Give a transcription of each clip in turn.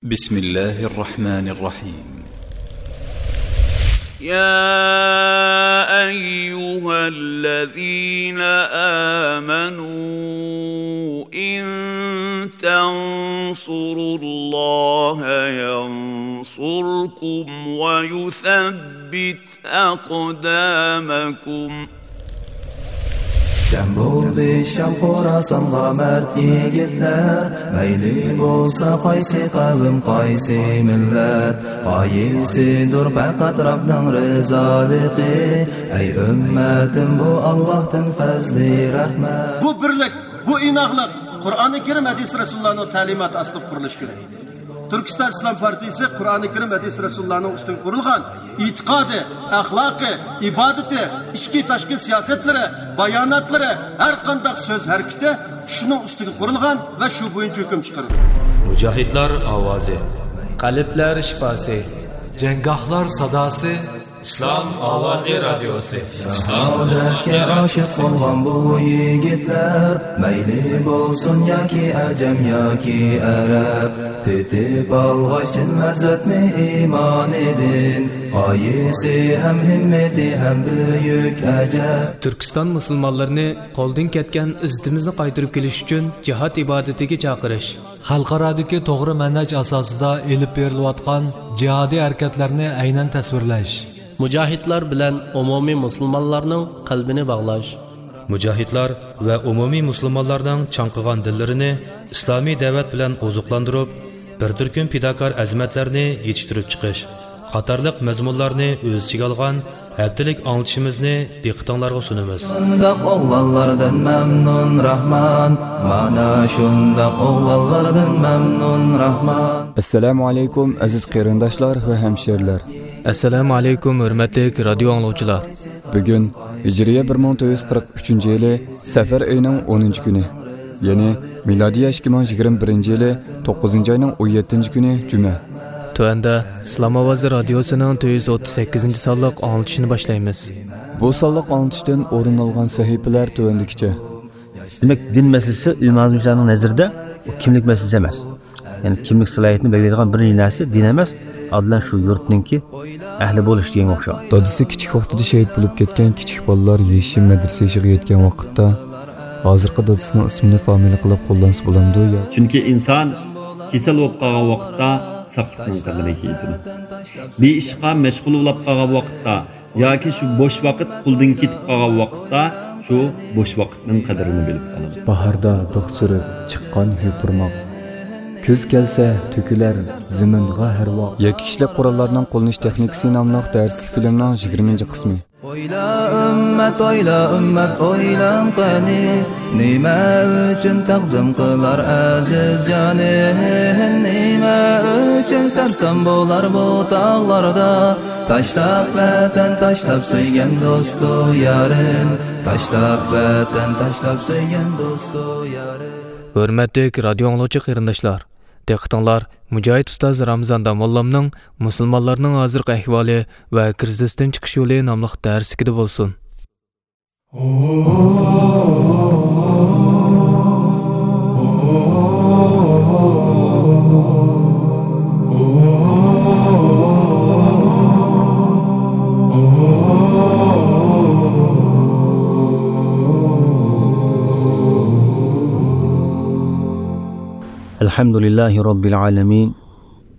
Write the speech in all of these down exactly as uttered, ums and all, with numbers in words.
بسم الله الرحمن الرحيم. يا أيها الذين آمنوا إن تنصروا الله ينصركم ويثبت أقدامكم. جەم بولدى شام خوراسانغا مەرد يىگىتلەر، مەيلى بولسا قايسى قەۋم، قايسى مىللەت، غايىسىدۇر پەقەت رەبنىڭ رىزالىقى. ئەي ئۈممەتىم، بۇ ئاللاھتىن پەزلى رەھمەت. بۇ بىرلىك، بۇ ئىناقلىق قۇرئانى كەرىم، ھەدىس رەسۇلۇللانىڭ تەلىماتى ئاستىدا قۇرۇلۇشى كېرەك. تۈركىستان ئىسلام پارتىيىسى قۇرئانى كەرىم، ھەدىس رەسۇلۇللانىڭ ئۈستىگە قۇرۇلغان ئېتىقادى، ئەخلاقى، ئىبادىتى، ئىچكى تاشقى سىياسەتلىرى، باياناتلىرى، ھەر قانداق سۆز ھەرىكىتى شۇنىڭ ئۈستىگە قۇرۇلغان ۋە شۇ بويىچە ھۆكۈم چىقىرىدۇ. مۇجاھىدلار ئاۋازى. قەلبلەر شىپاسى. جەڭگاھلار ساداسى. ئىسلام ئاۋازى رادىيوسى. شاھادەتكە ئاشىق بولغان بۇ يىگىتلەر، مەيلى بولسۇن ياكى ئەجەم ياكى ئەرەب، تېتىپ ئالغاچ چىن لەززەتنى ئىمانىدىن، غايىسى ھەم ھىممىتى ھەم بۈيۈك ئەجەب. تۈركىستان مۇسۇلمانلىرىنى قولدىن كەتكەن ئىززىتىمىزنى قايتۇرۇپ كېلىش ئۈچۈن جىھاد ئىبادىتىگە چاقىرىش. خەلقئارادىكى توغرا مەنھەج ئاساسىدا ئېلىپ بېرىلىۋاتقان جىھادىي ھەرىكەتلەرنى ئەينەن تەسۋىرلەش. مۇجاھىدلار بىلەن ئومۇمىي مۇسۇلمانلارنىڭ قەلبىنى باغلاش. مۇجاھىدلار ۋە ئومۇمىي مۇسۇلمانلارنىڭ چاڭقىغان دىللىرىنى ئىسلامىي دەۋەت بىلەن ئوزۇقلاندۇرۇپ، بىر تۈركۈم پىداكار ئەزىمەتلەرنى يېتىشتۈرۈپ چىقىش قاتارلىق مەزمۇنلارنى ئۆز ئىچىگە ئالغان ھەپتىلىك ئاڭلىتىشىمىزنى دىققىتىڭلارغا سۇنىمىز. شۇنداق ئوغلانلاردىن مەمنۇن راھمان، مانا شۇنداق ئوغلانلاردىن مەمنۇن راھمان. ئەسسالامۇ ئەلەيكۇم، ئەزىز قېرىنداشلار ۋە ھەمشېرىلەر. ئەسسالامۇ ئەلەيكۇم، ھۆرمەتلىك رادىيو ئاڭلىغۇچىلار. بۈگۈن ھىجرىيە بىر مىڭ تۆت يۈز قىرىق ئۈچىنچى يىلى سەپەر ئېيىنىڭ ئونىنچى كۈنى، يەنى مىلادىيە ئىككى مىڭ يىگىرمە بىرىنچى يىلى توققۇزىنچى ئاينىڭ ئون يەتتىنچى كۈنى جۈمە. تۆۋەندە ئىسلام ئاۋازى رادىيوسىنىڭ تۆت يۈز ئوتتۇز سەككىزىنچى سانلىق ئاڭلىتىشىنى باشلايمىز. بۇ سانلىق ئاڭلىتىشتىن ئورۇن ئالغان سەھىپىلەر تۆۋەندىكىچە. دېمەك، دىن مەسىلىسى ئىلمىي ئازمىچىلەرنىڭ نەزىرىدە ئۇ كىملىك مەسىلىسى ئەمەس. يەنى كىملىك سالاھىيىتىنى بەلگىلەيدىغان بىرىنچى نەرسە دىن ئەمەس، ئادىلەن شۇ يۇرتنىڭكى ئەھلى بولۇش دېگەنگە ئوخشايدۇ. دادىسى كىچىك ۋاقتىدا شېھىت بولۇپ كەتكەن كىچىك بالىلار يېشى مەدرىسە يېشىغا يەتكەن ۋاقىتتا، ھازىرقى دادىسىنىڭ ئىسمىنى فامىلە قىلىپ قوللانسا بولامدۇ يا؟ چۈنكى ئىنسان كېسەل بولۇپ قالغان ۋاقىتتا ساقلىقنىڭ قەدرىنى يېتىدۇ. بىر ئىشقا مەشغۇل بولۇپ قالغان ۋاقىتتا ياكى شۇ بوش ۋاقىت قولدىن كېتىپ قالغان ۋاقىتتا شۇ بوش ۋاقىتنىڭ قەدرىنى بىلىپ قالىدۇ. باھاردا بىخ سۈرۈپ چىققان يوپۇرماق، كۈز كەلسە تۆكۈلەر زېمىنغا ھەر ۋاق. يەككە كىشىلىك قوراللارنىڭ قوللىنىش تېخنىكىسى ناملىق دەرسلىك فىلىمنىڭ يىگىرمىنچى قىسمى. ئويلا ئۈممەت، ئويلا ئۈممەت، ئويلاڭ قېنى، نېمە ئۈچۈن تەقدىم قىلار ئەزىز جانى؟ نېمە ئۈچۈن سەرسان بولار بۇ تاغلاردا؟ تاشلاپ ۋەتەن، تاشلاپ سۆيگەن دوستۇ يارىن، تاشلاپ ۋەتەن، تاشلاپ سۆيگەن دوستۇ يارىن. ھۆرمەتلىك رادىيو ئاڭلىغۇچى قېرىنداشلار، دىققىتىڭلار مۇجاھىد ئۇستاز رامىزان داموللامنىڭ مۇسۇلمانلارنىڭ ھازىرقى ئەھۋالى ۋە كىرىزىستىن چىقىش يولى ناملىق دەرسلىكىدە بولسۇن. الحمد لله رب العالمين،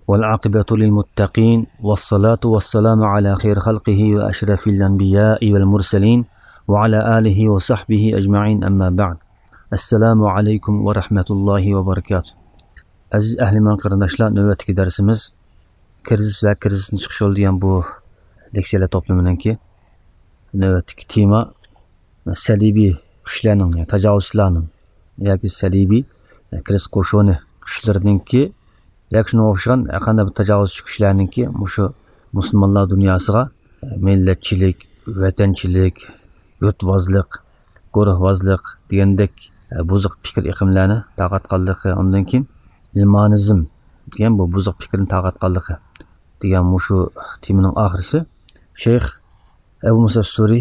والعاقبة للمتقين، والصلاة والسلام على خير خلقه وأشرف الأنبياء والمرسلين، وعلى آله وصحبه أجمعين، أما بعد. السلام عليكم ورحمة الله وبركاته. ئەزىز ئەھلىمان قېرىنداشلار، نۆۋەتتىكى دەرسىمىز كىرىزىس ۋە كىرىزىستىن چىقىش يولى دېگەن بۇ لېكسىيەلەر توپلىمىنىڭكى نۆۋەتتىكى تېما سەلىبىي كۈچلەرنىڭ، يەنى تاجاۋۇزچىلارنىڭ ياكى سەلىبىي، يەنى كىرىزىس قوشۇنى كۈچلىرىنىڭكى ياكى شۇنىڭغا ئوخشىغان ھەر قانداق بىر تاجاۋۇزچى كۈچلەرنىڭكى مۇشۇ مۇسۇلمانلار دۇنياسىغا مىللەتچىلىك، ۋەتەنچىلىك، يۇرتۋازلىق، گۇرۇھۋازلىق دېگەندەك بۇزۇق پىكىر ئېقىملارنى تارقاتقانلىقى، ئاندىن كېيىن ئىلمانىزم دېگەن بۇ بۇزۇق پىكىرنى تارقاتقانلىقى دېگەن مۇشۇ تېمىنىڭ ئاخىرىسى شەيخ ئەبۇ مۇسەب سۈرى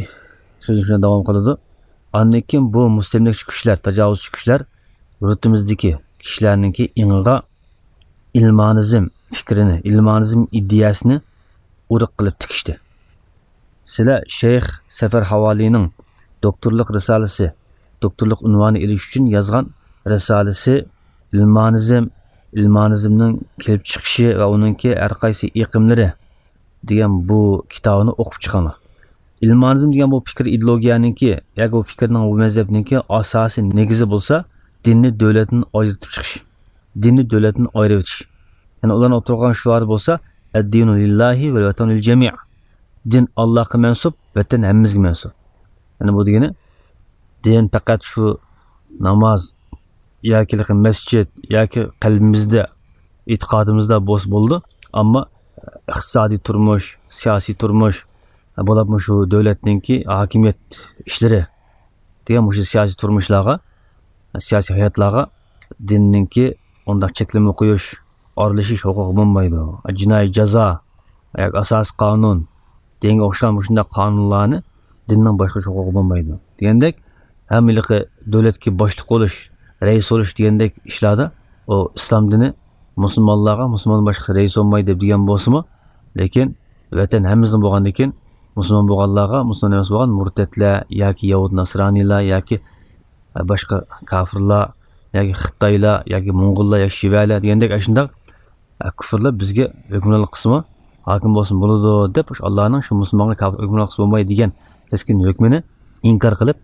سۆزىنى شۇنداق داۋام قىلىدۇ. ئاندىن كېيىن بۇ مۇستەملىكىچى كۈچلەر، تاجاۋۇزچى كۈچلەر يۇرتىمىزدىكى كىشىلەرنىڭكى ئېڭىغا ئىلمانىزم پىكرىنى، ئىلمانىزم ئىدىيەسىنى ئۇرۇق قىلىپ تىكىشتى. سىلەر شەيخ سەفەر ھاۋالىنىڭ دوكتورلۇق رىسالىسى، دوكتورلۇق ئۇنۋانى ئېلىش ئۈچۈن يازغان رىسالىسى ئىلمانىزم، ئىلمانىزمنىڭ كېلىپ چىقىشى ۋە ئۇنىڭكى ھەر قايسى ئېقىملىرى دېگەن بۇ كىتابىنى ئوقۇپ چىقىڭلار. ئىلمانىزم دېگەن بۇ پىكىر ئىدېئولوگىيەنىڭكى ياكى بۇ پىكىرنىڭ، بۇ مەزھەپنىڭكى ئاساسىي نېگىزى بولسا دىننى دۆلەتتىن ئايرىتىپ چىقىش. دىننى دۆلەتتىن ئايرىۋېتىش. يەنى ئۇلارنىڭ ئوتتۇرىغا قويغان شوئارى بولسا، «ئەددىنۇ لىللاھى ۋەل ۋەتەنۇ لىل جەمىئ». دىن ئاللاھقا مەنسۇپ، ۋەتەن ھەممىمىزگە مەنسۇپ. يەنى بۇ دېگىنى، دىن پەقەت شۇ ناماز ياكى مەسچىت ياكى قەلبىمىزدە، ئېتىقادىمىزدا بولسا بولىدۇ. ئەمما ئىقتىسادىي تۇرمۇش، سىياسىي تۇرمۇش، بولۇپمۇ شۇ دۆلەتنىڭكى ھاكىمىيەت ئىشلىرى دېگەن مۇشۇ سىياسىي تۇرمۇشلارغا، سىياسىي ھاياتلارغا دىننىڭكى ئۇنداق چەكلىمە قويۇش، ئارىلىشىش ھوقۇقى بولمايدۇ. جىنايى جازا ياكى ئاساسىي قانۇن دېگەنگە ئوخشىغان مۇشۇنداق قانۇنلارنى دىننىڭ باشقۇرۇش ھوقۇقى بولمايدۇ دېگەندەك، ھەم ھېلىقى دۆلەتكە باشلىق بولۇش، رەئىس بولۇش دېگەندەك ئىشلاردا ئۇ ئىسلام دىنى مۇسۇلمانلارغا، مۇسۇلماندىن باشقىسى رەئىس بولمايدۇ دەپ دېگەن بولسىمۇ، لېكىن ۋەتەن ھەممىمىزنىڭ بولغاندىكىن، مۇسۇلمان بولغانلارغا، مۇسۇلمان ئەمەس بولغان مۇرتەتلەر ياكى يەھۇد ناسرانىيلار ياكى باشقا كافىرلار ياكى خىتايلار ياكى موڭغۇللار ياكى شىۋەلەر دېگەندەك ئاشۇنداق كۇفرلار بىزگە ھۆكۈمرانلىق قىلسىمۇ، ھاكىم بولسىمۇ بولىدۇ دەپ، شۇ ئاللانىڭ شۇ مۇسۇلمانغا كاپىر ھۆكۈمرانلىق قىلسا بولمايدۇ دېگەن كەسكىن ھۆكمىنى ئىنكار قىلىپ،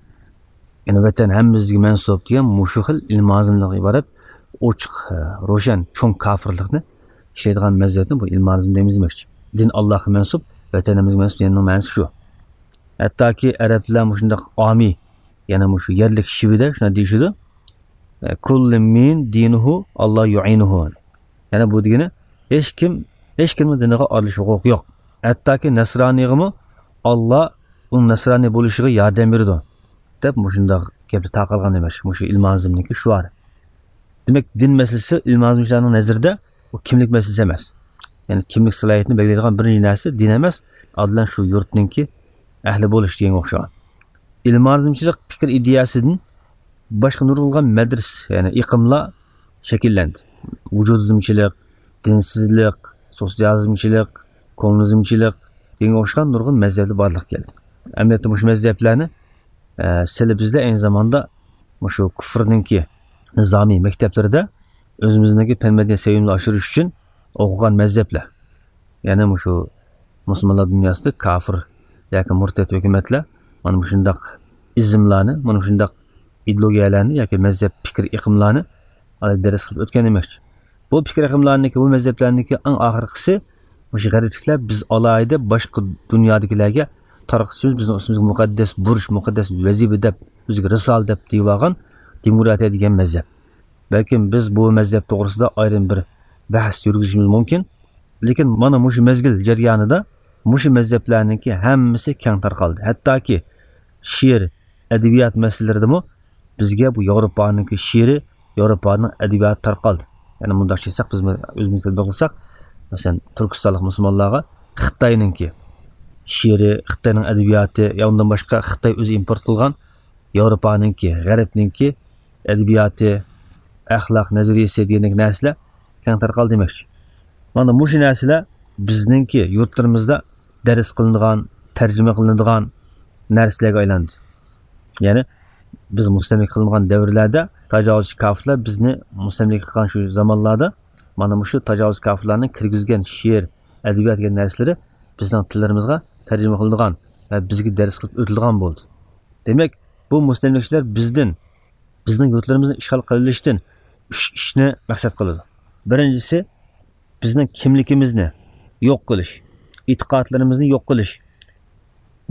يەنى ۋەتەن ھەممىمىزگە مەنسۇپ دېگەن مۇشۇ خىل ئىلمانىزمدىن ئىبارەت ئوچۇق، روشەن، چوڭ كافىرلىقنى ئىشلەيدىغان مەزھەپنى بۇ ئىلمانىزم دەيمىز دېمەكچى. دىن ئاللاھقا مەنسۇپ، ۋەتەن ھەممىمىزگە مەنسۇپ دېگەننىڭ مەنىسى شۇ. ھەتتاكى ئەرەبلەر مۇشۇنداق ئامىي، يەنى مۇشۇ يەرلىك شىۋىدە شۇنداق دېيىشىدۇ. كۇللى مىن دىنىھۇ، ئاللا يۇئىنىھۇ. يەنى بۇ دېگىنى، ھېچ كىم، ھېچ كىمنىڭ دىنىغا ئارىلىشىش ھوقۇقى يوق. ھەتتاكى نەسرانىيغىمۇ ئاللا ئۇنىڭ نەسرانىي بولۇشىغا ياردەم بېرىدۇ، دەپ مۇشۇنداق گەپلەر تارقالغان دېمەكچى، مۇشۇ ئىلمانىزمنىڭكى شوئارى. دېمەك، دىن مەسىلىسى ئىلمانىزمچىلارنىڭ نەزىرىدە ئۇ كىملىك مەسىلىسى ئەمەس. يەنى كىملىك سالاھىيىتىنى بەلگىلەيدىغان بىرىنچى نەرسە دىن ئەمەس، ئادىلەن شۇ يۇرتنىڭكى ئەھلى بولۇش دېگەنگە ئوخشىغان. ئىلمانىزمچىلىق پىكىر ئىدىيەسىدىن باشقا نۇرغۇنلىغان مەدرىسە، يەنى ئېقىملار شەكىللەندى. ۋۇجۇدىزمچىلىق، دىنسىزلىق، سوتسىيالىزمچىلىق، كوممۇنىزمچىلىق دېگەنگە ئوخشىغان نۇرغۇن مەزھەپلەر بارلىققا كەلدى. ئەمەلىيەتتە مۇشۇ مەزھەپلەرنى، ئە، سىلى بىزدە ئەينى زاماندا مۇشۇ كۇفرنىڭكى نىزامىي مەكتەپلىرىدە ئۆزىمىزنىڭكى پەن مەدەنىيەت سەۋىيىمىزنى ئاشۇرۇش ئۈچۈن ئوقۇغان مەزھەپلەر. يەنى مۇشۇ مۇسۇلمانلار دۇنياسىدا كاپىر ياكى مۇرتەت ھۆكۈمەتلەر مانا مۇشۇنداق ئىزملارنى، مانا مۇشۇنداق ئىدېئولوگىيەلەرنى ياكى مەزھەپ پىكىر ئېقىملارنى ئالاھىدە دەرس قىلىپ ئۆتكەن دېمەكچى. بۇ پىكىر ئېقىملارنىڭكى، بۇ مەزھەپلەرنىڭكى ئەڭ ئاخىرقىسى مۇشۇ غەربلىكلەر بىز ئالاھىدە باشقا دۇنيادىكىلەرگە تارقىتىشىمىز، بىزنىڭ ئۈستىمىزگە مۇقەددەس بۇرچ، مۇقەددەس ۋەزىپە دەپ، ئۆزىگە رىسالە دەپ دېيىۋالغان دېموكراتىيە دېگەن مەزھەپ. بەلكىم بىز بۇ مەزھەپ توغرىسىدا ئايرىم بىر بەھس يۈرگۈزۈشىمىز مۇمكىن. لېكىن مانا مۇشۇ مەزگىل جەريانىدا مۇشۇ مەزھەپلەرنىڭكى ھەممىسى كەڭ تارقالدى. ھەتتاكى شېئىر، ئەدەبىيات مەسىلىلىرىدىمۇ بىزگە بۇ ياۋروپانىڭكى شېئىرى، ياۋروپانىڭ ئەدەبىياتى تارقالدى. يەنى مۇنداقچە ئېيتساق، بىز ئۆزىمىز تەتبىق قىلساق، مەسىلەن، تۈركىستانلىق مۇسۇلمانلارغا خىتاينىڭكى شېئىرى، خىتاينىڭ ئەدەبىياتى، يا ئۇندىن باشقا خىتاي ئۆزى ئىمپورت قىلغان ياۋروپانىڭكى، غەربنىڭكى ئەدەبىياتى، ئەخلاق نەزەرىيىسى دېگەندەك نەرسىلەر كەڭ تارقالدى دېمەكچى. مانا مۇشۇ نەرسىلەر بىزنىڭكى يۇرتلىرىمىزدا دەرس قىلىنىدىغان، تەرجىمە قىلىنىدىغان نەرسىلەرگە ئايلاندى. يەنى بىز مۇستەملىكە قىلىنغان دەۋرلەردە تاجاۋۇزچى كاپىرلار بىزنى مۇستەملىكە قىلغان شۇ زامانلاردا مانا مۇشۇ تاجاۋۇزچى كاپىرلارنىڭ كىرگۈزگەن شېئىر، ئەدەبىيات دېگەن نەرسىلىرى بىزنىڭ تىللىرىمىزغا تەرجىمە قىلىنىدىغان ۋە بىزگە دەرس قىلىپ ئۆتۈلىدىغان بولدى. دېمەك، بۇ مۇستەملىكىچىلەر بىزدىن، بىزنىڭ يۇرتلىرىمىزنى ئىشغال قىلىۋېلىشتىن ئۈچ ئىشنى مەقسەت قىلىدۇ. بىرىنچىسى، بىزنىڭ كىملىكىمىزنى يوق قىلىش، ئېتىقادلىرىمىزنى يوق قىلىش،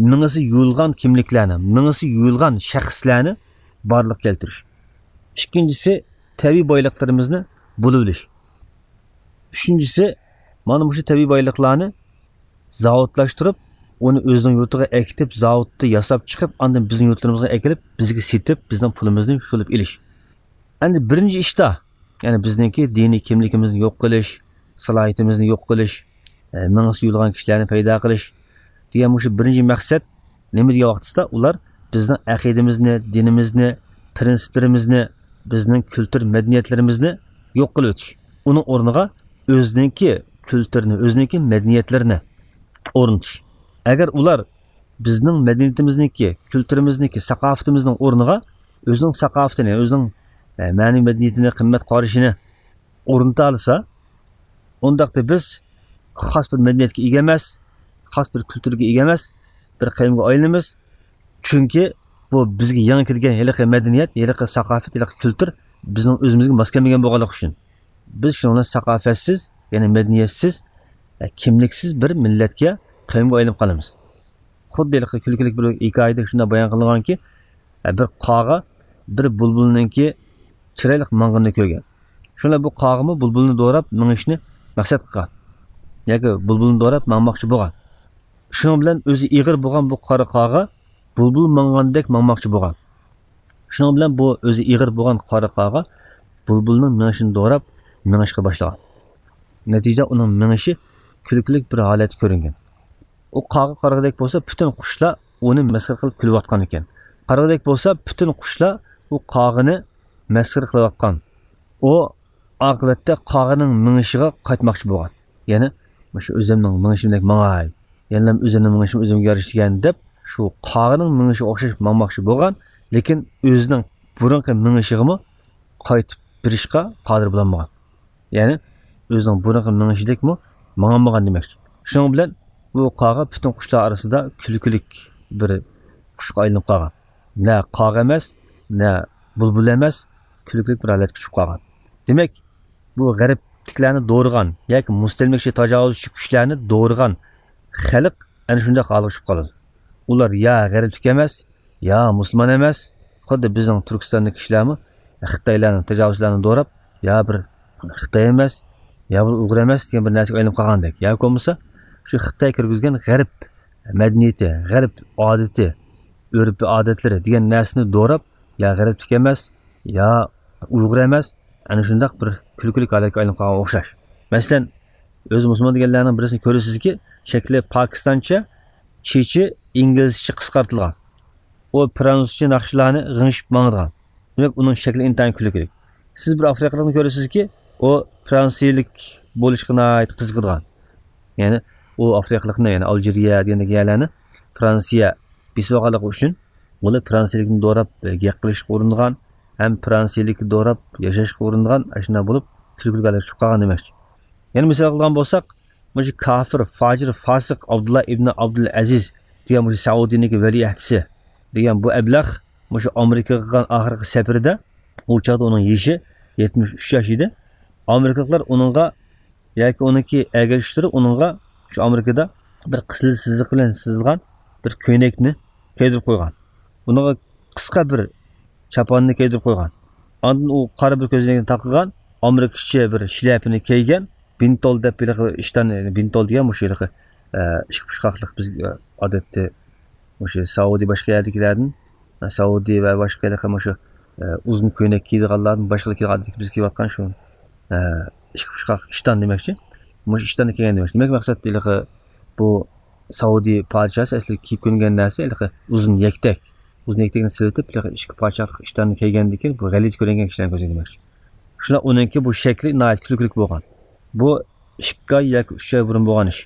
مېڭىسى يۇيۇلغان كىملىكلەرنى، مېڭىسى يۇيۇلغان شەخسلەرنى بارلىققا كەلتۈرۈش. ئىككىنچىسى، تەبىئىي بايلىقلىرىمىزنى بۇلىۋېلىش. ئۈچىنچىسى، مانا مۇشۇ تەبىئىي بايلىقلارنى زاۋۇتلاشتۇرۇپ، ئۇنى ئۆزىنىڭ يۇرتىغا ئەكېتىپ، زاۋۇتتا ياساپ چىقىپ، ئاندىن بىزنىڭ يۇرتلىرىمىزغا ئەكېلىپ، بىزگە سېتىپ، بىزنىڭ پۇلىمىزنى شۇلۇپ ئېلىش. ئەمدى بىرىنچى ئىشتا، يەنى بىزنىڭكى دىنىي كىملىكىمىزنى يوق قىلىش، سالاھىيىتىمىزنى يوق قىلىش، ئە، مېڭىسى يۇيۇلغان كىشىلەرنى پەيدا قىلىش دېگەن مۇشۇ بىرىنچى مەقسەت. نېمە دېگەن ۋاقتىسىدا ئۇلار بىزنىڭ ئەقىدىمىزنى، دىنىمىزنى، پىرىنسىپلىرىمىزنى، بىزنىڭ كۈلتۈر مەدەنىيەتلىرىمىزنى يوق قىلىۋېتىش. ئۇنىڭ ئورنىغا ئۆزىنىڭكى كۈلتۈرىنى، ئۆزىنىڭكى مەدەنىيەتلىرىنى ئورنىتىش. ئەگەر ئۇلار بىزنىڭ مەدەنىيىتىمىزنىڭكى، كۈلتۈرىمىزنىڭكى، ساقاپىتىمىزنىڭ ئورنىغا ئۆزىنىڭ ساقاپىتىنى، ئۆزىنىڭ، ئە، مەنىۋى مەدەنىيىتىنى، قىممەت قارىشىنى ئورنىتالىسا، ئۇنداقتا بىز خاس بىر مەدەنىيەتكە ئىگە ئەمەس، خاس بىر كۈلتۈرگە ئىگە ئەمەس، بىر قەۋمگە ئايلىنىمىز. چۈنكى بۇ بىزگە يېڭى كىرگەن ھېلىقى مەدەنىيەت، ھېلىقى ساقاپەت، ھېلىقى كۈلتۈر بىزنىڭ ئۆزىمىزگە ماس كەلمىگەن بولغانلىقى ئۈچۈن. بىز شۇنىڭ بىلەن ساقاپەتسىز، يەنى مەدەنىيەتسىز، ئە، كىملىكسىز بىر مىللەتكە، قەۋمگە ئايلىنىپ قالىمىز. خۇددى ھېلىقى كۈلكىلىك بىر ھېكايىدە شۇنداق بايان قىلىنغانكى، ئە، بىر قاغا بىر بۇلبۇلنىڭكى چىرايلىق ماڭغىنىنى كۆرگەن. شۇڭا بۇ قاغىمۇ بۇلبۇلنى دوراپ مېڭىشنى مەقسەت قىلغان. ياكى بۇلبۇلنى دوراپ ماڭماقچى بولغان. شۇنىڭ بىلەن ئۆزى ئېغىر بولغان بۇ قارا قاغا بۇلبۇل ماڭغاندەك ماڭماقچى بولغان. شۇنىڭ بىلەن بۇ ئۆزى ئېغىر بولغان قارا قاغا بۇلبۇلنىڭ مېڭىشىنى دوراپ مېڭىشقا باشلىغان. نەتىجىدە ئۇنىڭ مېڭىشى كۈلكىلىك بىر ھالەتتە كۆرۈنگەن. ئۇ قاغا قارىغۇدەك بولسا، پۈتۈن قۇشلار ئۇنى مەسخىرە قىلىپ كۈلۈۋاتقان ئىكەن. قارىغۇدەك بولسا، پۈتۈن قۇشلار ئۇ قاغىنى مەسخىرە قىلىۋاتقان. ئۇ ئاقىۋەتتە قاغىنىڭ مېڭىشىغا قايتماقچى بولغان. يەنى، مۇشۇ ئۆزۈمنىڭ مېڭىشىمدەك ماڭاي. يەنىلا ئۆزۈمنىڭ مېڭىشىم ئۆزۈمگە يارىشىدىكەن دەپ، شۇ قاغىنىڭ مېڭىشىغا ئوخشاش ماڭماقچى بولغان، لېكىن ئۆزىنىڭ بۇرۇنقى مېڭىشىغىمۇ قايتىپ بېرىشقا قادىر بولالمىغان. يەنى ئۆزىنىڭ بۇرۇنقى مېڭىشىدەكمۇ ماڭالمىغان دېمەكچى. شۇنىڭ بىلەن بۇ قاغا پۈتۈن قۇشلار ئارىسىدا كۈلكىلىك بىر قۇشقا ئايلىنىپ قالغان. نە قاغا ئەمەس، نە بۇلبۇل ئەمەس، كۈلكىلىك بىر ھالەتكە چۈشۈپ قالغان. دېمەك، بۇ غەربلىكلەرنى دورىغان ياكى مۇستەملىكىچى تاجاۋۇزچى كۈچلەرنى دورىغان خەلق ئەنە شۇنداق ھالغا چۈشۈپ قالىدۇ. ئۇلار يا غەربلىك ئەمەس، يا مۇسۇلمان ئەمەس، خۇددى بىزنىڭ تۈركىستاندىكى كىشىلەرمۇ خىتايلارنى، تاجاۋۇزچىلارنى دوراپ، يا بىر خىتاي ئەمەس، يا بىر ئۇيغۇر ئەمەس دېگەن بىر نەرسىگە ئايلىنىپ قالغاندەك. ياكى بولمىسا شۇ خىتاي كىرگۈزگەن غەرب مەدەنىيىتى، غەرب ئادىتى، ئۆرپ-ئادەتلىرى دېگەن نەرسىنى دوراپ، يا غەربلىك ئەمەس، يا ئۇيغۇر ئەمەس، ئەنە شۇنداق بىر كۈلكىلىك ھالەتكە ئايلىنىپ قالغان ئوخشاش. مەسىلەن، ئۆزى مۇسۇلمان دېگەنلەرنىڭ بىرسىنى كۆرىسىزكى، شەكلى پاكىستانچە، چېچى ئىنگلىزچە قىسقارتىلغان. ئۇ فرانسۇزچە ناخشىلارنى غىڭشىپ ماڭىدىغان. دېمەك، ئۇنىڭ شەكلى ئىنتايىن كۈلكىلىك. سىز بىر ئافرىقىلىقنى كۆرىسىزكى، ئۇ فرانسىيىلىك بولۇشقا ناھايىتى قىزىقىدىغان. يەنى ئۇ ئافرىقىلىقنى، يەنى ئالجىرىيە دېگەندەك يەرلەرنى فرانسىيە بېسىۋالغانلىقى ئۈچۈن، ئۇلار فرانسىيىلىكنى دوراپ، ئە، گەپ قىلىشقا ئۇرۇنىدىغان، ھەم فرانسىيىلىكنى دوراپ ياشاشقا ئۇرۇنىدىغان، ئاشۇنداق بولۇپ، كۈلكىلىك ھالەتكە چۈشۈپ قالغان دېمەكچى. يەنە مىسال قىلغان بولساق، مۇشۇ كاپىر، فاجىر، فاسىق ئابدۇللا ئىبنى ئابدۇل ئەزىز دېگەن مۇشۇ سەئۇدىنىڭكى ۋەلىئەھدىسى دېگەن بۇ ئەبلەخ مۇشۇ ئامېرىكىغا قىلغان ئاخىرقى سەپىرىدە، ئۇ چاغدا ئۇنىڭ يېشى يەتمىش ئۈچ ياش ئىدى. ئامېرىكىلىقلار ئۇنىڭغا ياكى ئۇنىڭكى ئەگەشكۈچىلىرى ئۇنىڭغا شۇ ئامېرىكىدا بىر قىزىل سىزىق بىلەن سىزىلغان بىر كۆينەكنى كىيدۈرۈپ قويغان. ئۇنىڭغا قىسقا بىر چاپاننى كىيدۈرۈپ قويغان. ئاندىن ئۇ قارا بىر كۆزنەكنى تاقىغان، ئامېرىكىچە بىر شىلەپىنى كىيگەن، بىنتول دەپ ھېلىقى ئىشتان، بىنتول دېگەن مۇشۇ ھېلىقى، ئە، ئىككى پۇچقاقلىق بىز، ئە، ئادەتتە مۇشۇ سەئۇدى باشقا يەردىكىلەردىن، ئە، سەئۇدى ۋە باشقا ھېلىقى مۇشۇ، ئە، ئۇزۇن كۆينەك كىيىدىغانلاردىن باشقىلار كىيىدىغان ئادەتتىكى بىز كىيىۋاتقان شۇ، ئە، ئىككى پۇچقاق ئىشتان دېمەكچى. مۇشۇ ئىشتاننى كىيگەن دېمەكچى. دېمەك، مەقسەت ھېلىقى بۇ سەئۇدى پادىشاھى ئەسلى كىيىپ كۆنگەن نەرسە ھېلىقى ئۇزۇن يەكتەك. ئۇزۇن يەكتەكنى سېلىۋېتىپ، ھېلىقى ئىككى پادىشاھلىق ئىشتاننى كىيگەندىن كېيىن بۇ غەلىتە كۆرۈنگەن كىشىلەرنى كۆرسەتمەكچى. شۇنداق ئۇنىڭكى بۇ شەكلى ناھايىتى كۈلكىلىك بولغان. بۇ ئىككى ئاي ياكى ئۈچ ئاي بۇرۇن بولغان ئىش.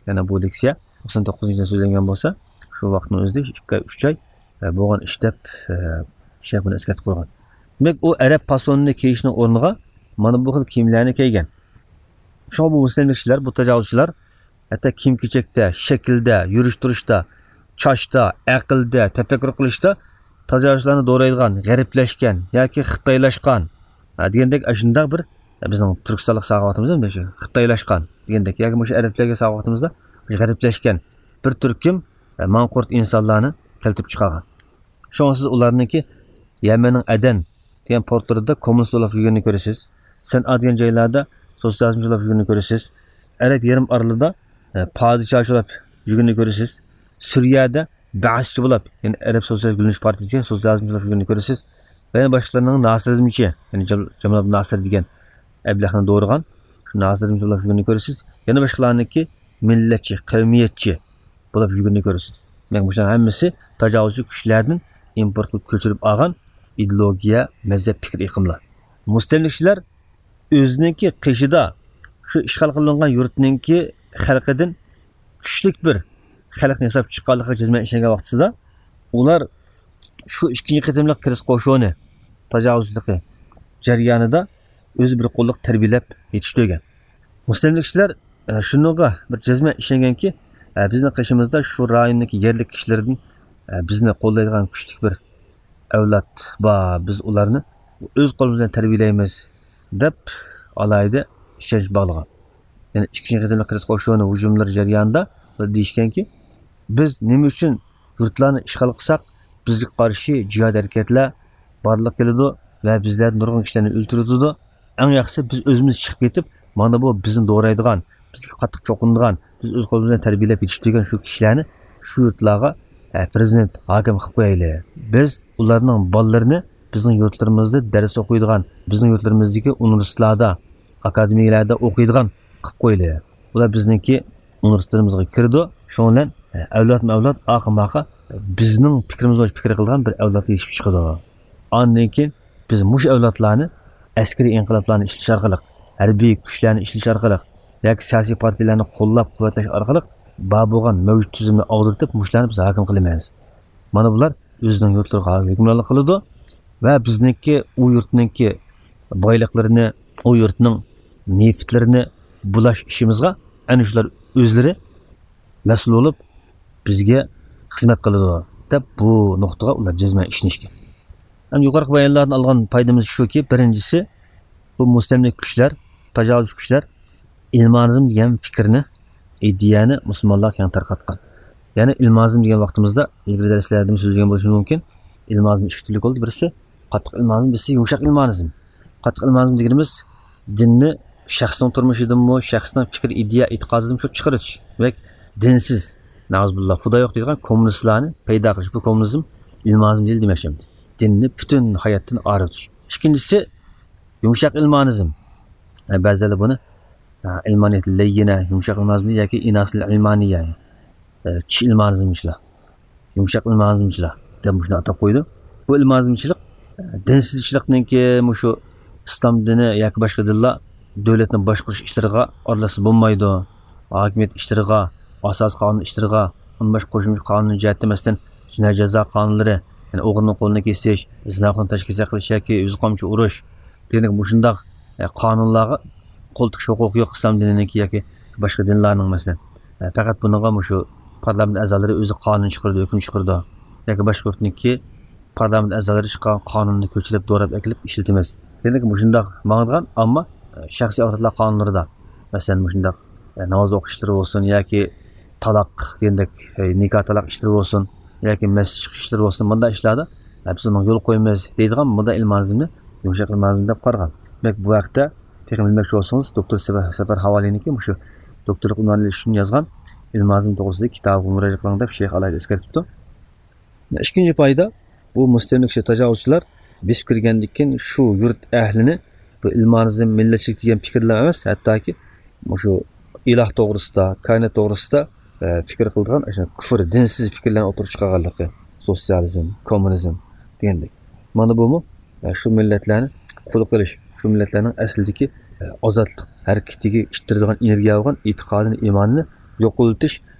يەنى بۇ لېكسىيە توقسان توققۇزىنچى يىلدا سۆزلەنگەن بولسا، شۇ ۋاقىتنىڭ ئۆزىدە ئىككى ئاي، ئۈچ ئاي، ئە، بولغان ئىش دەپ، ئە، شەيخ بۇنى ئەسكەرتىپ قويغان. دېمەك، ئۇ ئەرەب پاسونىنى كىيىشنىڭ ئورنىغا مانا بۇ خىل كىيىملەرنى كىيگەن. شۇڭا بۇ مۇسلىملىكچىلەر، بۇ تاجاۋۇزچىلار ھەتتا كىيىم-كېچەكتە، شەكىلدە، يۈرۈش-تۇرۇشتا، چاچتا، ئەقىلدە، تەپەككۇر قىلىشتا تاجاۋۇزچىلارنى دورايدىغان، غەربلەشكەن ياكى خىتايلاشقان، ھە، دېگەندەك ئاشۇنداق بىر، بىزنىڭ تۈركىستانلىق ساغىۋاتىمىز مۇشۇ خىتايلاشقان دېگەندەك ياكى مۇشۇ ئەرەبلەرگە ساغىۋاتىمىزدا مۇشۇ غەربلەشكەن بىر تۈركۈم، ھە، ماڭقۇرت ئىنسانلارنى كەلتۈرۈپ چىقارغان. شۇڭا سىز ئۇلارنىڭكى يەمەننىڭ ئەدەن دېگەن پورتلىرىدا كوممۇنىست بولاپ يۈرگىنىنى كۆرىسىز. سەنئا دېگەن جايلاردا سوتسىيالىزمچى بولاپ يۈرگىنىنى كۆرىسىز. ئەرەب يېرىم ئارىلىدا، ئە، پادىشاھچى بولاپ يۈرگىنىنى كۆرىسىز. سۈرىيەدە بەئسچى بولاپ، يەنى ئەرەب سوتسىيالىست گۈللىنىش پارتىيىسى دېگەن سوتسىيالىزمچى بولاپ يۈرگىنىنى كۆرىسىز. ۋە يەنە باشقىلارنىڭ ناسىرىزمچى، يەنى جام-، جامال ئابدۇل ناسىر دېگەن ئەبلەخنى دورىغان شۇ ناسىرىزمچى بولاپ يۈرگىنىنى كۆرىسىز. يەنە باشقىلارنىڭكى مىللەتچى، قەۋمىيەتچى بولاپ يۈرگىنىنى كۆرىسىز. دېمەك، مۇشۇلار ھەممىسى تاجاۋۇزچى كۈچلەردىن ئىمپورت قىلىپ كۆچۈرۈپ ئالغان ئىدېئولوگىيە، مەزھەپ، پىكىر ئېقىملار. مۇستەملىكىچىلەر ئۆزىنىڭكى قېشىدا شۇ ئىشغال قىلىنغان يۇرتنىڭكى خەلقىدىن كۈچلۈك بىر خەلقنى ياساپ چىققانلىقىغا جەزمەن ئىشەنگەن ۋاقتىسىدا، ئۇلار شۇ ئىككىنچى قېتىملىق كرېست قوشۇنى تاجاۋۇزچىلىقى جەريانىدا ئۆزى بىر قوللۇق تەربىيەلەپ يېتىشتۈرگەن. مۇستەملىكىچىلەر، ئە، شۇنىڭغا بىر جەزمەن ئىشەنگەنكى، ئە، بىزنىڭ قېشىمىزدا شۇ رايوننىڭكى يەرلىك كىشىلىرىدىن، ئە، بىزنى قوللايدىغان كۈچلۈك بىر ئەۋلاد بار، بىز ئۇلارنى ئۆز قولىمىز بىلەن تەربىيەلەيمىز، دەپ ئالاھىدە ئىشەنچ باغلىغان. يەنى ئىككىنچى قېتىملىق كرېست قوشۇنى ھۇجۇملىرى جەريانىدا دېيىشكەنكى، بىز نېمە ئۈچۈن يۇرتلارنى ئىشغال قىلساق، بىزگە قارشى جىھاد ھەرىكەتلەر بارلىققا كېلىدۇ ۋە بىزلەردىن نۇرغۇن كىشىلەرنى ئۆلتۈرۈۋېتىدۇ. ئەڭ ياخشىسى بىز ئۆزىمىز چىقىپ كېتىپ، مانا بۇ بىزنى دورايدىغان، بىزگە قاتتىق چوقۇنىدىغان، بىز ئۆز قولىمىز بىلەن تەربىيەلەپ يېتىشتۈرگەن شۇ كىشىلەرنى شۇ يۇرتلارغا، ئە، پرېزىدېنت، ھاكىم قىلىپ قويايلى. بىز ئۇلارنىڭ بالىلىرىنى بىزنىڭ يۇرتلىرىمىزدا دەرس ئوقۇيدىغان، بىزنىڭ يۇرتلىرىمىزدىكى ئۇنىۋېرسىتېتلاردا، ئاكادېمىيەلەردە ئوقۇيدىغان قىلىپ قويىلى. ئۇلار بىزنىڭكى ئۇنىۋېرسىتېتىمىزغا كىرىدۇ. شۇنىڭ بىلەن، ئە، ئەۋلادمۇ ئەۋلاد، ئاخىرمۇ ئاخىر بىزنىڭ پىكرىمىز بويىچە پىكىر قىلىدىغان بىر ئەۋلاد يېتىشىپ چىقىدۇ. ئاندىن كېيىن بىز مۇشۇ ئەۋلادلارنى ئەسكىرىي ئىنقىلابلارنى ئىشلىتىش ئارقىلىق، ھەربىي كۈچلەرنى ئىشلىتىش ئارقىلىق ياكى سىياسىي پارتىيەلەرنى قوللاپ-قۇۋۋەتلەش ئارقىلىق بار بولغان مەۋجۇت تۈزۈمنى ئاغدۇرتۇپ، مۇشۇلارنى بىز ھاكىم قىلىمىز. مانا بۇلار ئۆزىنىڭ يۇرتلىرىغا ھۆكۈمرانلىق قىلىدۇ ۋە بىزنىڭكى ئۇ يۇرتنىڭكى بايلىقلىرىنى، ئۇ يۇرتنىڭ نېفىتلىرىنى بۇلاش ئىشىمىزغا ئەنە شۇلار ئۆزلىرى مەسئۇل بولۇپ، بىزگە خىزمەت قىلىدۇ، دەپ بۇ نۇقتىغا ئۇلار جەزمەن ئىشىنىشكەن. ئەمدى يۇقىرىقى بايانلاردىن ئالغان پايدىمىز شۇكى، بىرىنچىسى، بۇ مۇستەملىكە كۈچلەر، تاجاۋۇزچى كۈچلەر ئىلمانىزم دېگەن پىكىرنى، ئىدىيەنى مۇسۇلمانلارغا كەڭ تارقاتقان. يەنى ئىلمانىزم دېگەن ۋاقتىمىزدا، ئىلگىرى دەرسلەردىمۇ سۆزلىگەن بولۇشىمىز مۇمكىن، ئىلمانىزم ئىككى تۈرلۈك بولدى. بىرسى قاتتىق ئىلمانىزم، بىرسى يۇمشاق ئىلمانىزم. قاتتىق ئىلمانىزم دېگىنىمىز دىننى شەخسنىڭ تۇرمۇشىدىنمۇ، شەخسنىڭ پىكىر، ئىدىيە، ئېتىقادىدىنمۇ شۇ چىقىرىۋېتىش. دېمەك، دىنسىز، نەئۇزۇبىللا، خۇدا يوق دەيدىغان كوممۇنىستلارنى پەيدا قىلىش. بۇ كوممۇنىزم ئىلمانىزم دېيىلدى دېمەكچىمەن. دىننى پۈتۈن ھاياتتىن ئايرىۋېتىش. ئىككىنچىسى، يۇمشاق ئىلمانىزم. ئە، بەزىلەر بۇنى، ئە، ئىلمانىيەت لەييىنە، يۇمشاق ئىلمانىزم ياكى ئىناسىل ئىلمانىيە، ئە، چىش ئىلمانىزمچىلار، يۇمشاق ئىلمانىزمچىلار دەپ مۇشۇنى ئاتاپ قويىدۇ. بۇ ئىلمانىزمچىلىق، ئە، دىنسىزچىلىقنىڭكى مۇشۇ ئىسلام دىنى ياكى باشقا دىنلار دۆلەتنى باشقۇرۇش ئىشلىرىغا ئارىلاشسا بولمايدۇ. ھاكىمىيەت ئىشلىرىغا، ئاساسىي قانۇن ئىشلىرىغا، ئۇندىن باشقا قوشۇمچە قانۇن جەھەتتە، مەسىلەن، جىنايى جازا قانۇنلىرى، يەنى ئوغرىنىڭ قولىنى كېسىش، زىناخورنى تاشكېسەك قىلىش ياكى يۈز قامچا ئۇرۇش دېگەندەك مۇشۇنداق، ئە، قانۇنلارغا قول تىقىش ھوقۇقى يوق ئىسلام دىنىنىڭكى ياكى باشقا دىنلارنىڭ، مەسىلەن. ئە، پەقەت بۇنىڭغا مۇشۇ پارلامېنت ئەزالىرى ئۆزى قانۇن چىقىرىدۇ، ھۆكۈم چىقىرىدۇ. ياكى باشقا يۇرتنىڭكى پارلامېنت ئەزالىرى چىققان قانۇننى كۆچۈرۈپ، دوراپ ئەكېلىپ ئىشلىتىمىز دېگەندەك مۇشۇنداق ماڭىدىغان، ئەمما، ئە، شەخسىي ئاۋاتلار قانۇنلىرىدا، مەسىلەن، مۇشۇنداق، ئە، ناماز ئوقۇش ئىشلىرى بولسۇن ياكى تالاق دېگەندەك، ئە، نىكاھ تالاق ئىشلىرى بولسۇن ياكى مەسچىت چىقىش ئىشلىرى بولسۇن، مۇنداق ئىشلاردا، ئە، بىز ئۇنىڭغا يول قويىمىز دەيدىغان مۇنداق ئىلمانىزمنى يۇمشاق ئىلمانىزم دەپ قارىغان. دېمەك، بۇ ھەقتە تېخى بىلمەكچى بولسىڭىز، دوكتور سەفەر، سەفەر ھاۋالىنىڭكى مۇشۇ دوكتورلۇق ئۇنۋانى ئېلىش ئۈچۈن يازغان ئىلمانىزم توغرىسىدىكى كىتابىغا مۇراجىئەت قىلىڭ دەپ شەيخ ئالاھىدە ئەسكەرتىپتۇ. ئىككىنچى پايدا، بۇ مۇستەملىكىچى تاجاۋۇزچىلار بېسىپ كىرگەندىن كېيىن شۇ يۇرت ئەھلىنى بۇ ئىلمانىزم، مىللەتچىلىك دېگەن پىكىرلەر ئەمەس، ھەتتاكى مۇشۇ ئىلاھ توغرىسىدا، كائىنات توغرىسىدا، ئە، پىكىر قىلىدىغان، ئاشۇ كۇفر، دىنسىز پىكىرلەرنى ئوتتۇرىغا چىقارغانلىقى، سوتسىيالىزم، كوممۇنىزم دېگەندەك. مانا بۇمۇ، ئە، شۇ مىللەتلەرنى قۇل قىلىش، شۇ مىللەتلەرنىڭ ئەسلىدىكى، ئە، ئازادلىق ھەرىكىتىگە ئىتتىرىدىغان ئېنېرگىيە بولغان ئېتىقادىنى، ئىمانىنى يوقىتىش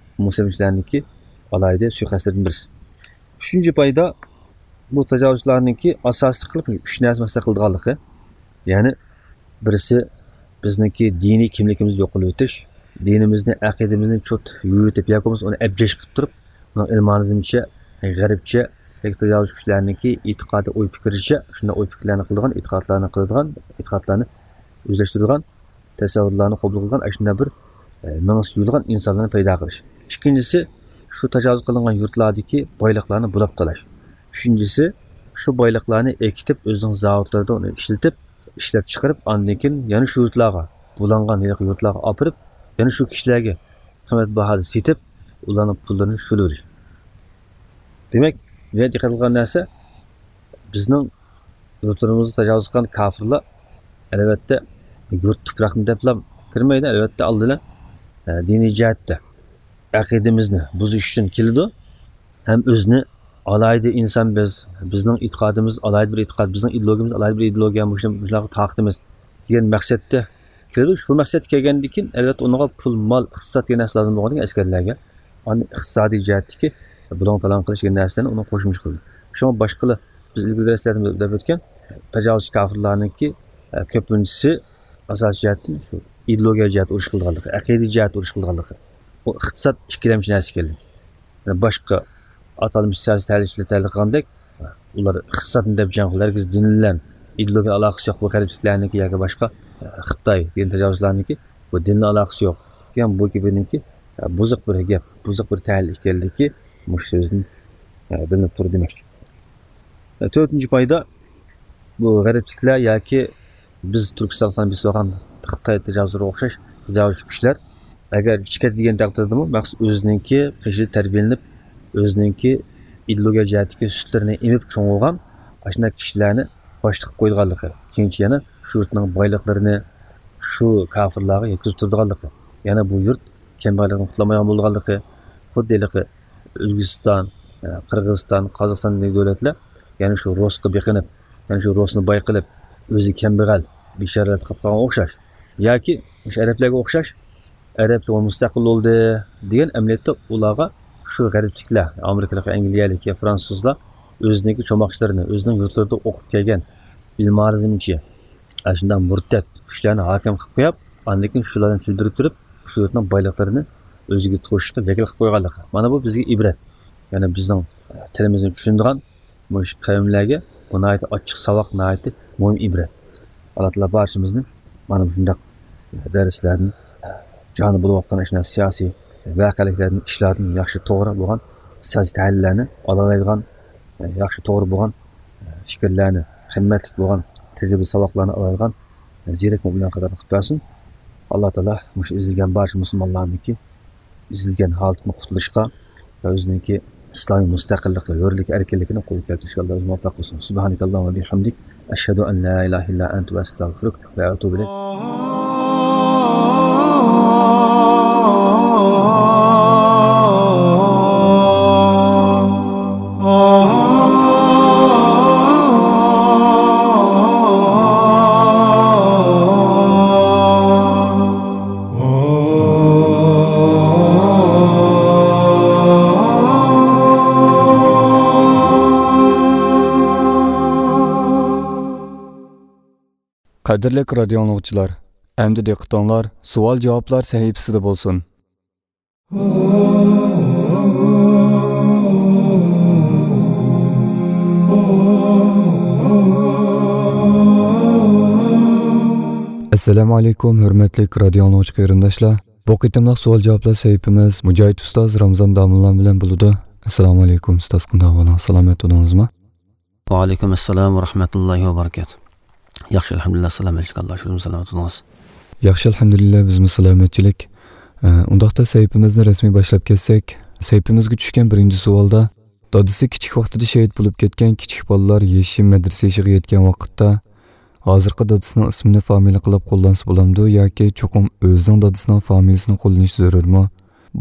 مۇسلىمچىلارنىڭكى ئالاھىدە سۇيىقەستلىرىدىن بىرسى. ئۈچىنچى پايدا، بۇ تاجاۋۇزچىلارنىڭكى ئاساسلىق قىلىپ ئۈچ نەرسە مەسىلە قىلىدىغانلىقى. يەنى بىرسى، بىزنىڭكى دىنىي كىملىكىمىزنى يوق قىلىۋېتىش، دىنىمىزنى، ئەقىدىمىزنى چوت يۇيۇۋېتىپ ياكى بولمىسا ئۇنى ئەبجەش قىلىپ تۇرۇپ، ئۇنىڭ ئىلمانىزمچە، غەربچە ياكى تاجاۋۇزچى كۈچلەرنىڭكى ئېتىقادى، ئوي پىكرىچە، شۇنداق ئوي پىكىرلەرنى قىلىدىغان، ئېتىقادلارنى قىلىدىغان، ئېتىقادلارنى ئۆزلەشتۈرىدىغان، تەسەۋۋۇرلارنى قوبۇل قىلغان ئاشۇنداق بىر، ئە، مېڭىسى يۇيۇلغان ئىنسانلارنى پەيدا قىلىش. ئىككىنچىسى، شۇ تاجاۋۇز قىلىنغان يۇرتلاردىكى بايلىقلارنى بۇلاپ تالاش. ئۈچىنچىسى، شۇ بايلىقلارنى ئېكىتىپ، ئۆزىنىڭ زاۋۇتلىرىدا ئۇنى ئىشلىتىپ، ئىشلەپ چىقىرىپ، ئاندىن كېيىن يەنە شۇ يۇرتلارغا، بۇلانغان ھېلىقى يۇرتلارغا ئاپىرىپ، يەنە شۇ كىشىلەرگە قىممەت باھادا سېتىپ، ئۇلارنىڭ پۇللىرىنى شۇلىۋېلىش. دېمەك، بۇ يەردە دىققەت قىلغان نەرسە، بىزنىڭ يۇرتلىرىمىزغا تاجاۋۇز قىلغان كاپىرلار، ئەلۋەتتە، يۇرت تۇپراقنى دەپلا كىرمەيدۇ. ئەلۋەتتە، ئالدى بىلەن، ئە، دىنىي جەھەتتە ئەقىدىمىزنى بۇزۇش ئۈچۈن كېلىدۇ. ھەم ئۆزىنى ئالاھىدە ئىنسان بىز، بىزنىڭ ئېتىقادىمىز ئالاھىدە بىر ئېتىقاد، بىزنىڭ ئىدېئولوگىيىمىز ئالاھىدە بىر ئىدېئولوگىيە، مۇشۇ-، مۇشۇلارغا تارقىتىمىز دېگەن مەقسەتتە دېدى، شۇ مەقسەتكە كەلگەندىن كېيىن، ئەلۋەتتە، ئۇنىڭغا پۇل، مال، ئىقتىساد دېگەن نەرسە لازىم بولغاندىكىن ئەسكەرلەرگە، ئاندىن ئىقتىسادىي جەھەتتىكى بۇلاڭ-تالاڭ قىلىش دېگەن نەرسىلەرنى ئۇنىڭغا قوشۇمچە قىلدى. شۇڭا باشقىلار، بىز ئىلگىرى دەرسلەردە دەپ ئۆتكەن، تاجاۋۇزچى كاپىرلارنىڭكى، ئە، كۆپىنچىسى ئاساسىي جەھەتتىن شۇ ئىدېئولوگىيە جەھەتتە ئۇرۇش قىلىدىغانلىقى، ئەقىدە جەھەتتە ئۇرۇش قىلىدىغانلىقى، بۇ ئىقتىساد ئىككىلەمچى نەرسە ئىكەنلىكى. يەنى باشقا ئاتالمىش سىياسىي تەھلىلچىلەر تەھلىل قىلغاندەك، ئۇلار ئىقتىسادنى دەپ جەڭ قىلىدۇ، ھەرگىز دىن بىلەن ئىدېئولوگىيە ئالاقىسى يوق بۇ غەربلىكلەرنىڭكى ياكى باشقا، خىتاي دىن تاجاۋۇزچىلارنىڭكى بۇ دىننىڭ ئالاقىسى يوق. يەنى بۇ گېپىنىڭكى بۇزۇق بىر گەپ، بۇزۇق بىر تەھلىل ئىكەنلىكى مۇشۇ سۆزدىن بىلىنىپ تۇرىدۇ دېمەكچى. تۆتىنچى پايدا، بۇ غەربلىكلەر ياكى بىز تۈركىستانغا بېسىۋالغان خىتاي تاجاۋۇزلىرىغا ئوخشاش تاجاۋۇزچى كۈچلەر ئەگەر چىقىدۇ دېگەن تەقدىردىمۇ، مەخسۇس ئۆزىنىڭكى قېشىدا تەربىيەلىنىپ، ئۆزىنىڭكى ئىدېئولوگىيە جەھەتتىكى سۈتلىرىنى ئېمىپ چوڭ بولغان ئاشۇنداق كىشىلەرنى باشلىق قىلىپ قويىدىغانلىقى، كېيىنچە يەنە شۇ يۇرتنىڭ بايلىقلىرىنى شۇ كاپىرلارغا يەتكۈزۈپ تۇرىدىغانلىقى، يەنە بۇ يۇرت كەمبەغەللىكتىن قۇتۇلالمايدىغان بولىدىغانلىقى، خۇددى ھېلىقى ئۆزبېكىستان، قىرغىزىستان، قازاقىستاندىكى دۆلەتلەر يەنە شۇ رۇسقا بېقىنىپ، يەنە شۇ رۇسنى باي قىلىپ، ئۆزى كەمبەغەل، بىچارىلەر قىلىپ قالغان ئوخشاش. ياكى مۇشۇ ئەرەبلەرگە ئوخشاش، ئەرەبلەر مۇستەقىل بولدى دېگەن ئەمەلىيەتتە ئۇلارغا شۇ غەربلىكلەر، ئامېرىكىلىق، ئەنگلىيەلىك يا فرانسۇزلار ئۆزىنىڭكى چوماقچىلىرىنى، ئۆزىنىڭ يۇرتلىرىدا ئوقۇپ كەلگەن بىل مارىزمچى، ئاشۇنداق مۇرتەت كۈچلەرنى ھاكىم قىلىپ قويۇپ، ئاندىن كېيىن شۇلار بىلەن تىل بىرىكتۈرۈپ، شۇ يۇرتنىڭ بايلىقلىرىنى ئۆزىگە توشۇشقا ۋەكىل قىلىپ قويغانلىقى. مانا بۇ بىزگە ئىبرەت. يەنى بىزنىڭ تىلىمىزنى چۈشىنىدىغان مۇشۇ قەۋملەرگە بۇ ناھايىتى ئاچچىق ساۋاق، ناھايىتى مۇھىم ئىبرەت. ئاللا تائالا بارچىمىزنى مانا مۇشۇنداق دەرسلەردىن، جانى بولۇۋاتقان ئاشۇنداق سىياسىي ۋەقەلىكلەردىن، ئىشلاردىن ياخشى توغرا بولغان سىياسىي تەھلىللەرنى ئالالايدىغان، ياخشى توغرا بولغان پىكىرلەرنى، قىممەتلىك بولغان تەجرىبە ساۋاقلارنى ئالالايدىغان زېرەك مۆمىنلەر قاتارىدا قىلىپ بەرسۇن. ئاللا تائالا مۇشۇ ئېزىلگەن بارچە مۇسۇلمانلارنىڭكى ئېزىلگەن ھالىتىدىن قۇتۇلۇشقا ۋە ئۆزىنىڭكى ئىسلامىي مۇستەقىللىقى، ھۆرلۈك، ئەركىنلىكىنى قولغا كەلتۈرۈشكە ئاللا ئۆزى مۇۋەپپەق قىلسۇن. سبحانك اللهم وبحمدك، أشهد أن لا إله إلا أنت، أستغفرك وأتوب إليك. قەدىرلىك رادىيو ئاڭلىغۇچىلار، ئەمدى دىققىتىڭلار سوئال-جاۋابلار سەھىپىسىدە بولسۇن. ئەسسالامۇ ئەلەيكۇم، ھۆرمەتلىك رادىيو ئاڭلىغۇچى قېرىنداشلار. بۇ قېتىملىق سوئال-جاۋابلار سەھىپىمىز مۇجاھىد ئۇستاز رامزان داموللا بىلەن بولىدۇ. ئەسسالامۇ ئەلەيكۇم ئۇستاز، قانداق ئەھۋالىڭىز؟ سالامەت تۇردىڭىزمۇ؟ ۋەئەلەيكۇم ئەسسالام ۋە رەھمەتۇللاھى ۋە بەرىكاتۇھ. ياخشى، ئەلھەمدۇلىللا، سالامەتچىلىك، ئاللا شۈكرى، سالامەت بولۇڭىز. ياخشى، ئەلھەمدۇلىللا، بىزمۇ سالامەتچىلىك. ئە، ئۇنداقتا سەھىپىمىزنى رەسمىي باشلاپ كەتسەك، سەھىپىمىزگە چۈشكەن بىرىنچى سوئالدا، دادىسى كىچىك ۋاقتىدا شېھىت بولۇپ كەتكەن كىچىك بالىلار يېشى مەدرىسە يېشىغا يەتكەن ۋاقىتتا، ھازىرقى دادىسىنىڭ ئىسمىنى فامىلە قىلىپ قوللانسا بولامدۇ ياكى چوقۇم ئۆزىنىڭ دادىسىنىڭ فامىلىسىنى قوللىنىش زۆرۈرمۇ؟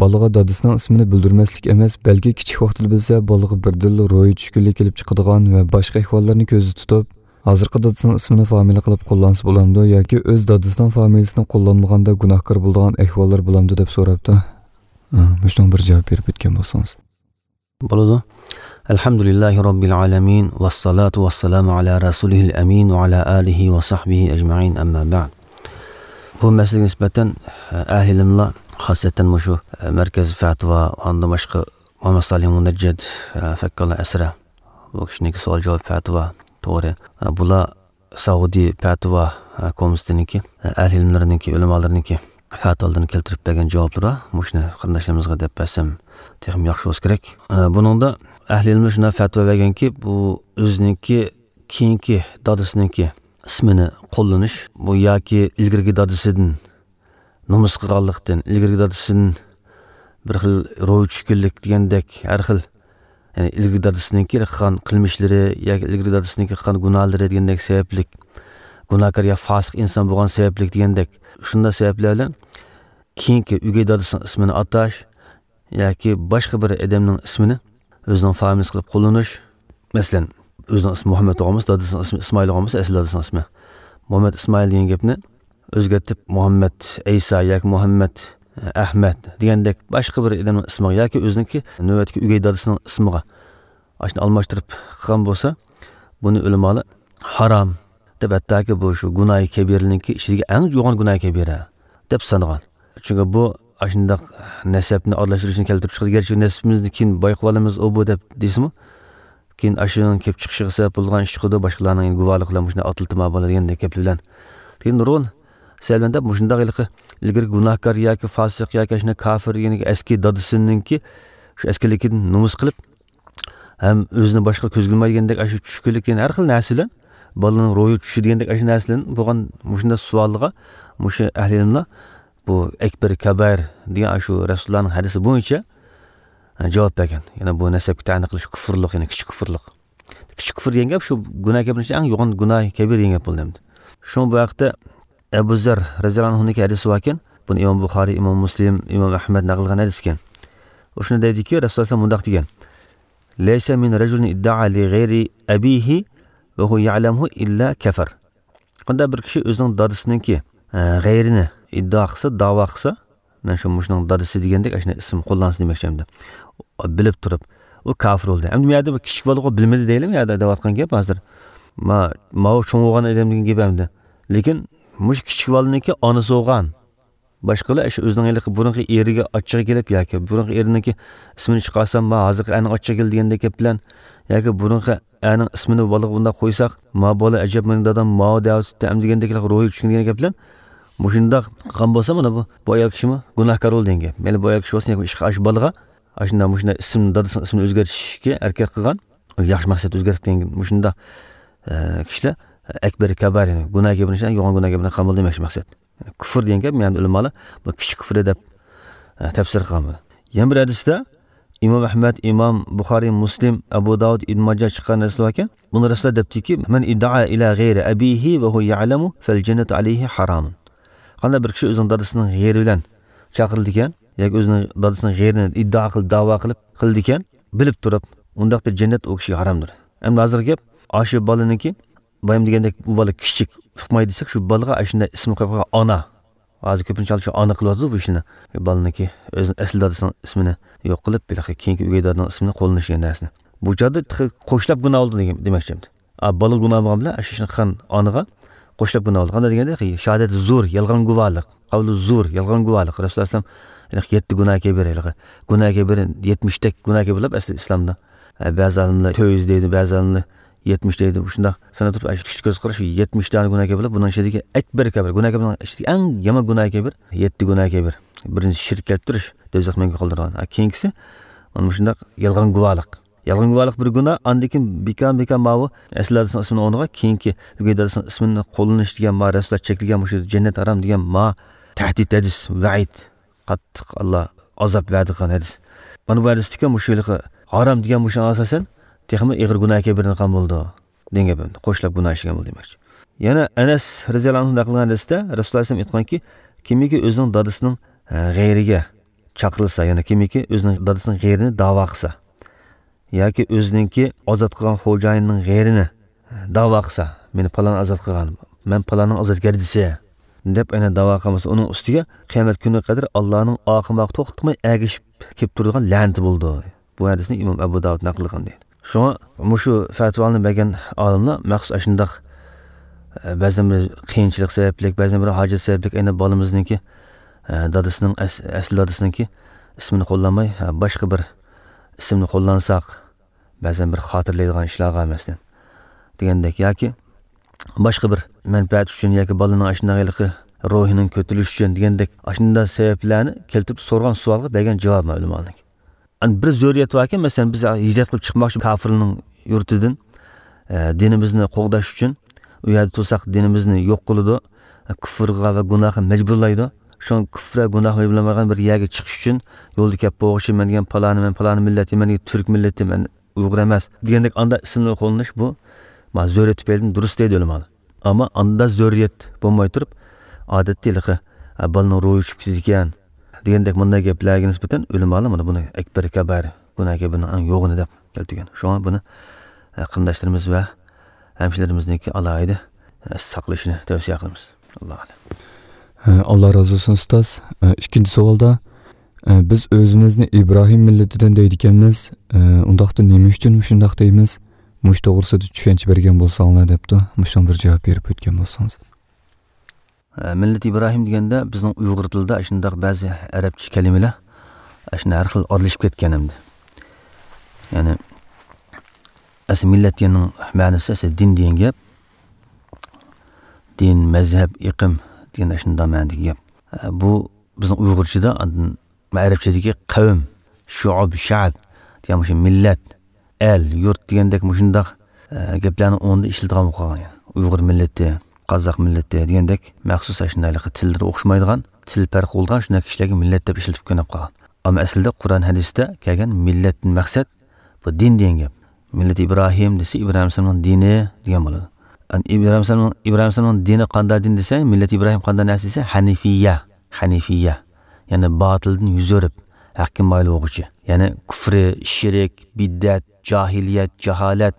بالىغا دادىسىنىڭ ئىسمىنى بىلدۈرمەسلىك ئەمەس، بەلكى كىچىك ۋاقتىدا بىلسە، بالىغا بىردىنلا روھى چۈشكۈنلۈك كېلىپ چىقىدىغان ۋە باشقا ئەھۋاللارنى كۆزدە تۇتۇپ، ھازىرقى دادىسىنىڭ ئىسمىنى فامىلە قىلىپ قوللانسا بولامدۇ ياكى ئۆز دادىسىنىڭ فامىلىسىنى قوللانمىغاندا گۇناھكار بولىدىغان ئەھۋاللار بولامدۇ دەپ سوراپتۇ. ئە، مۇشۇنىڭغا بىر جاۋاب بېرىپ ئۆتكەن بولسىڭىز. بولىدۇ. ئەلھەمدۇلىللاھى رەببىل ئالەمىن، ۋەسسالاتۇ ۋەسسالامۇ ئالا رەسۇلىھىل ئەمىن ۋە ئالا ئالىھى ۋە سەھبىھى ئەجمەئىن، ئەمما بەئد. بۇ مەسىلىگە نىسبەتەن، ئە، ئەھلى ئىلىملار، خاسەتەن مۇشۇ، ئە، مەركەز فەتىۋا، ئاندىن باشقا مۇھەممەد سالىھ مۇنەججىد، ئە، فەككاللا ئەسرە، بۇ كىشىنىڭكى سوئال-جاۋاب، فەتىۋا تورى، ئە، بۇلار سەئۇدى پەتىۋا، ئە، كومىتېتىنىڭكى، ئە، ئەھلى ئىلىملىرىنىڭكى، ئۆلىمالىرىنىڭكى فەتىۋالىرىدىن كەلتۈرۈپ بەرگەن جاۋابلىرى بار. مۇشۇنى قېرىنداشلىرىمىزغا دەپ بەرسەم تېخىمۇ ياخشى بولسا كېرەك. ئە، بۇنىڭدا ئەھلى ئىلىملەر شۇنداق فەتىۋا بەرگەنكى، بۇ ئۆزىنىڭكى كېيىنكى دادىسىنىڭكى ئىسمىنى قوللىنىش، بۇ ياكى ئىلگىرىكى دادىسىدىن نومۇس قىلغانلىقتىن، ئىلگىرىكى دادىسىدىن بىر خىل روھى چۈشكۈنلۈك دېگەندەك، ھەر خىل، يەنى ئىلگىرىكى دادىسىنىڭكى قىلغان قىلمىشلىرى ياكى ئىلگىرىكى دادىسىنىڭكى قىلغان گۇناھلىرى دېگەندەك سەۋەبلىك، گۇناھكار يا فاسىق ئىنسان بولغان سەۋەبلىك دېگەندەك، شۇنداق سەۋەبلەر بىلەن كېيىنكى ئۆگەي دادىسىنىڭ ئىسمىنى ئاتاش ياكى باشقا بىر ئادەمنىڭ ئىسمىنى ئۆزىنىڭ فامىلىسى قىلىپ قوللىنىش. مەسىلەن، ئۆزىنىڭ ئىسمى مۇھەممەد بولغان بولسا، دادىسىنىڭ ئىسمى ئىسمائىل بولغان بولسا، ئەسلى دادىسىنىڭ ئىسمى مۇھەممەد ئىسمائىل دېگەن گەپنى ئۆزگەرتىپ مۇھەممەد ئەيسا ياكى مۇھەممەد ئەھمەد دېگەندەك باشقا بىر ئادەمنىڭ ئىسمىغا ياكى ئۆزىنىڭكى نۆۋەتتىكى ئۆگەي دادىسىنىڭ ئىسمىغا ئاشۇنى ئالماشتۇرۇپ قىلغان بولسا، بۇنى ئۆلىمالار ھارام دەپ، ھەتتاكى بۇ شۇ گۇناھى كەبىرىنىڭكى ئىچىدىكى ئەڭ يوغان گۇناھى كەبىرە دەپ سانىغان. چۈنكى بۇ ئاشۇنداق نەسەبنى ئارىلاشتۇرۇشنى كەلتۈرۈپ چىقىدۇ. گەرچە نەسىبىمىزنى كېيىن بايقىۋالىمىز ئۇ بۇ دەپ دېسىمۇ، كېيىن ئاشۇنىڭ كېلىپ چىقىشىغا سەۋەب بولىدىغان ئىش چىقىدۇ، باشقىلارنىڭ يەنە گۇۋاھلىقى بىلەن مۇشۇنداق ئاتلىتىما بولىدۇ دېگەندەك گەپلەر بىلەن. لېكىن نۇرغۇن سەۋەبلەردە مۇشۇنداق ھېلىقى ئىلگىرى گۇناھكار ياكى فاسىق ياكى ئاشۇنداق كافىر، يەنى ئەسكى دادىسىنىڭكى شۇ ئەسكىلىكىدىن نومۇس قىلىپ، ھەم ئۆزىنى باشقىلار كۆزگە ئىلمايدىغاندەك ئاشۇ چۈشكۈنلۈك، يەنە ھەر خىل نەرسە بىلەن، بالىنىڭ روھى چۈشىدىغاندەك ئاشۇ نەرسە بىلەن بولغان مۇشۇنداق سوئالغا مۇشۇ ئەھلى ئىلىملار بۇ ئەكبەر كەبائىر دېگەن ئاشۇ رەسۇلۇللانىڭ ھەدىسى بويىچە، ھە، جاۋاب بەرگەن. يەنى بۇ نەسەبكە تەئەللۇق قىلىش كۇفۇرلۇق، يەنى كىچىك كۇفۇرلۇق. كىچىك كۇفۇر دېگەن گەپ شۇ گۇناھ كەبىرنىڭ ئىچىدە ئەڭ يوغان گۇناھ كەبىر دېگەن گەپ بولدى ئەمدى. شۇڭا بۇ ھەقتە ئەبۇ زەر رەزىياللاھۇ ئەنھۇنىڭكى ھەدىسى باركەن. بۇنى ئىمام بۇخارىي، ئىمام مۇسلىم، ئىمام ئەھمەد نەقىل قىلغان ھەدىسكەن. ئۇ شۇنى دەيدىكى، رەسۇلۇللاھ مۇنداق دېگەن: ليس من رجل ادعى لغير أبيه وهو يعلمه إلا كفر. قانداق بىر كىشى ئۆزىنىڭ دادىسىنىڭكى، ئە، غەيرىنى ئىددىئا قىلسا، داۋا قىلسا، مەن شۇ مۇشۇنىڭ دادىسى دېگەندەك ئاشۇنداق ئىسىم قوللانسا دېمەكچى ئەمدى. بىلىپ تۇرۇپ، ئۇ كافىر بولدى. ئەمدى بۇ يەردە بۇ كىچىك بالىغۇ بىلمىدى دەيلىمۇ، يەردە دەۋاتقان گەپ ھازىر. ما-، ماۋۇ چوڭ بولغان ئادەمنىڭ گېپى ئەمدى. لېكىن مۇشۇ كىچىك بالىنىڭكى ئانىسى بولغان. باشقىلار ئاشۇ ئۆزىنىڭ ھېلىقى بۇرۇنقى ئېرىگە ئاچچىقى كېلىپ ياكى بۇرۇنقى ئېرىنىڭكى ئىسمىنى چىقارسام، ما ھازىرقى ئەرنىڭ ئاچچىقى كېلىدۇ دېگەندەك گەپ بىلەن ياكى بۇرۇنقى ئەرنىڭ ئىسمىنى بالىغا بۇنداق قويساق، ما بالا ئەجەب مېنىڭ دادام ماۋۇ دەۋاتىدۇ ئەمدى دېگەندەك روھى چۈشكەن دېگەن گەپ بىلەن مۇشۇنداق قىلغان بولسا، مانا بۇ، بۇ ئايال كىشىمۇ گۇناھكار بولدى دېگەن گەپ. مەيلى بۇ ئايال كىشى بولسۇن ياكى ئىشقا ئاشۇ بالىغا ئاشۇنداق مۇشۇنداق ئىسىم، دادىسىنىڭ ئىسمىنى ئۆزگەرتىشكە ھەرىكەت قىلغان، ياخشى مەقسەت ئۆزگەرتىپ دېگەن مۇشۇنداق، ئە، كىشىلەر ئەكبەر كەبائىر، يەنى گۇناھ كەبىر، يوغان گۇناھ كەبىرنى قىلغان بولدى دېمەكچى مەقسەت. يەنى كۇفر دېگەن گەپ، يەنى ئۆلىمالار بۇ كىچىك كۇفر دەپ، ئە، تەپسىر قىلغان بولىدۇ. يەنە بىر ھەدىستە ئىمام ئەھمەد، ئىمام بۇخارىي، مۇسلىم، ئەبۇ داۋۇد، ئىبن ماجا چىققان ھەدىس باركەن. بۇنى رەسۇلۇللاھ دەپتىكى، من ادعى إلى غير أبيه وهو يعلم فالجنة عليه حرام. قانداق بىر كىشى ئۆزىنىڭ دادىسىنىڭ غەيرى بىلەن چاقىرىلىدىكەن ياكى ئۆزىنىڭ دادىسىنىڭ غەيرىنى ئىددىئا قىلىپ، داۋا قىلىپ قىلىدىكەن، بىلىپ تۇرۇپ، ئۇنداقتا جەننەت ئۇ كىشىگە ھارامدۇر. ئەمدى ھازىرقى گەپ، ئاشۇ بالىنىڭكى بايام دېگەندەك، بۇ بالا كىچىك، ئۇقمايدۇ دېسەك، شۇ بالىغا ئاشۇنداق ئىسىم قويۇپ قويغان ئانا. ھازىر كۆپىنچە ھالدا شۇ ئانا قىلىۋاتىدۇ بۇ ئىشنى. بالىنىڭكى ئۆزىنىڭ ئەسلى دادىسىنىڭ ئىسمىنى يوق قىلىپ، ھېلىقى كېيىنكى ئۆگەي دادىنىڭ ئىسمىنى قوللىنىش دېگەن نەرسىنى. بۇ چاغدا تېخى قوشلاپ گۇناھ بولدى دېگەن، دېمەكچى ئەمدى. ئا، بالا گۇناھ بولغان بىلەن ئاشۇ ئىشنى قىلغان ئانىغا قوشلاپ گۇناھ بولدى. قانداق دېگەندە، شاھادەت زۇر، يالغان گۇۋاھلىق، قەۋلى زۇر، يالغان گۇۋاھلىق. رەسۇلۇللاھ ئەلەيھىسسالام، ھېلىقى يەتتە گۇناھ كەبىر، ھېلىقى گۇناھ كەبىر، يەتمىشتەك گۇناھ كەبىر دەپ ئەسلى ئىسلامدا. ئە، بەزى ئالىملار تۆت يۈز دەيدۇ، بەزى ئالىملار يەتمىش دەيدۇ. شۇنداق سانىتىپ، ئاشۇ كىشىلىك كۆز قاراش، شۇ يەتمىش دانە گۇناھ كەبىر بولۇپ، بۇنىڭ ئىچىدىكى ئەكبەر كەبىر، گۇناھ كەبىرنىڭ ئىچىدىكى ئەڭ يامان گۇناھ كەبىر، يەتتە گۇناھ كەبىر. بىرىنچىسى شىرك كەلتۈرۈش، دوزاخ مەڭگۈ قالدۇرىدىغان. ھە، كېيىنكىسى مانا مۇشۇنداق يالغان گۇۋاھلىق. يالغان گۇۋاھلىق بىر گۇناھ، ئاندىن كېيىن بىكار-بىكار ماۋۇ ئەسلى دادىسىنىڭ ئىسمىنى ئورنىغا كېيىنكى ئۆگەي دادىسىنىڭ ئىسمىنى قوللىنىش دېگەن، ما رەسۇلۇللاھ چەكلىگەن مۇشۇ جەننەت ھارام دېگەن ما تەھدىت ھەدىس، ۋەئىد، قاتتىق ئاللا ئازاب ۋەدە قىلغان ھەدىس. مانا بۇ ھەدىستىكى مۇشۇ ھېلىقى ھارام دېگەن مۇشۇنىڭ ئاساسەن تېخىمۇ ئېغىر گۇناھ كەبىرىنى قىلغان بولىدۇ دېگەن گەپ. قوشلاپ گۇناھ ئىشلىگەن بولدى دېمەكچى. يەنە ئەنەس رەزىياللاھۇ ئەنھۇ نەقىل قىلغان ھەدىستە رەسۇلۇللاھ ئەلەيھىسسالام ئېيتقانكى، كىمكى ئۆزىنىڭ دادىسىنىڭ، ھە، غەيرىگە چاقىرىلسا، يەنى كىمكى ئۆزىنىڭ دادىسىنىڭ غەيرىنى داۋا قىلسا ياكى ئۆزىنىڭكى ئازاد قىلغان خوجايىنىنىڭ غەيرىنى داۋا قىلسا، مېنى پالان ئازاد قىلغان، مەن پالاننىڭ ئازادگەردىسى دەپ ئەنە داۋا قىلمىسا، ئۇنىڭ ئۈستىگە قىيامەت كۈنىگە قەدەر ئاللانىڭ ئارقىماق توختىماي ئەگىشىپ كېلىپ تۇرىدىغان لەنىتى بولىدۇ. بۇ ھەدىسنى ئىمام ئەبۇ داۋۇد نەقىل قىلغان دەيدۇ. شۇڭا مۇشۇ فەتىۋانى بەرگەن ئالىملار مەخسۇس ئاشۇنداق، ئە، بەزەن بىر قىيىنچىلىق سەۋەبلىك، بەزەن بىر ھاجەت سەۋەبلىك ئەنە بالىمىزنىڭكى، ئە، دادىسىنىڭ ئەس-، ئەسلى دادىسىنىڭكى ئىسمىنى قوللانماي، ئە، باشقا بىر ئىسىمنى قوللانساق، بەزەن بىر خاتىرىلەيدىغان ئىشلارغا مەسىلەن دېگەندەك ياكى باشقا بىر مەنپەئەت ئۈچۈن ياكى بالىنىڭ ئاشۇنداق ھېلىقى روھىنىڭ كۆتۈرۈلۈشى ئۈچۈن دېگەندەك ئاشۇنداق سەۋەبلەرنى كەلتۈرۈپ سورىغان سوئالغا بەرگەن جاۋاب مەلۇم ئالدىن. ئەنە بىر زۆرۈرىيەت باركەن، مەسىلەن، بىز ھىجرەت قىلىپ چىقماقچى كافىرنىڭ يۇرتىدىن، ئە، دىنىمىزنى قوغداش ئۈچۈن، ئۇ يەردە تۇرساق دىنىمىزنى يوق قىلىدۇ، ئە، كۇفرغا ۋە گۇناھقا مەجبۇرلايدۇ. شۇڭا كۇفر ۋە گۇناھقا مەجبۇرلانمايدىغان بىر يەرگە چىقىش ئۈچۈن يولدا كەپ بولغۇچى مەن دېگەن پالانى، مەن پالانى مىللەت، مەن دېگەن تۈرك مىللىتى، مەن ئۇيغۇر ئەمەس دېگەندەك ئانداق ئىسىمنى قوللىنىش بۇ، ما، زۆرۈرىيەت تۈپەيلىدىن دۇرۇس دەيدۇ ئۆلىمالار. ئەمما ئاندا زۆرۈرىيەت بولماي تۇرۇپ، ئادەتتە ھېلىقى، ئە، بالىنىڭ روھى چۈشۈپ كېتىدىكەن دېگەندەك مۇنداق گەپلەرگە نىسبەتەن ئۆلىمالار مانا بۇنى ئەكبەر كەبائىر، گۇناھ كەبىرنىڭ ئەڭ يوغىنى دەپ كەلتۈرگەن. شۇڭا بۇنى، ئە، قېرىنداشلىرىمىز ۋە ھەمشىرىلىرىمىزنىڭكى ئالاھىدە، ئە، ساقلىشىنى تەۋسىيە قىلىمىز. ئاللاھۇ ئەلەم. ئاللا رازى بولسۇن، ئۇستاز. ئىككىنچى سوئالدا، بىز ئۆزىمىزنى ئىبراھىم مىللىتىدىن دەيدىكەنمىز. ئۇنداقتا نېمە ئۈچۈن مۇشۇنداق دەيمىز؟ مۇشۇ توغرىسىدا چۈشەنچە بەرگەن بولساڭلار، دەپتۇ. مۇشۇنىڭ بىر جاۋاب بېرىپ ئۆتكەن بولساڭىز. ئە، مىللىتى ئىبراھىم دېگەندە، بىزنىڭ ئۇيغۇر تىلىدا شۇنداق بەزى ئەرەبچە كەلىمىلەر، ئاشۇنداق ھەر خىل ئارىلىشىپ كەتكەن ئەمدى. يەنى، ئەسلى مىللەت دېگەننىڭ مەنىسى ئەسلى دىن دېگەن گەپ. دىن، مەزھەپ، ئېقىم دېگەن ئاشۇنداق مەنىدىكى گەپ. ئە، بۇ بىزنىڭ ئۇيغۇرچىدا ئاندىن ئەرەبچىدىكى قەۋم، شۇئۇب، شەئب دېگەن مۇشۇ مىللەت، ئەل، يۇرت دېگەندەك مۇشۇنداق، ئە، گەپلەرنىڭ ئورنىدا ئىشلىتىدىغان بولۇپ قالغان. يەنى ئۇيغۇر مىللىتى، قازاق مىللىتى دېگەندەك مەخسۇس ئاشۇنداق تىللىرى ئوخشىمايدىغان، تىل پەرقى بولىدىغان شۇنداق كىشىلەرگە مىللەت دەپ ئىشلىتىپ كۆنۈپ قالغان. ئەمما ئەسلىدە قۇرئان ھەدىستە كەلگەن مىللەتتىن مەقسەت بۇ دىن دېگەن گەپ. مىللىتى ئىبراھىم دېسە، ئىبراھىم ئەلەيھىسسالامنىڭ دىنى دېگەن بولىدۇ. ئەن ئىبراھىم ئەلەيھىسسالام، ئىبراھىم ئەلەيھىسسالامنىڭ دىنى قانداق دىن دېسە، مىللىتى ئىبراھىم قانداق نەرسە دېسە، ھەنىفىيە، ھەنىفىيە. يەنى باتىلدىن يۈز ئۆرۈپ، ھەققە مايىل بولغۇچى. يەنى كۇفرى، شىرك، بىدئەت، جاھىلىيەت، جاھالەت،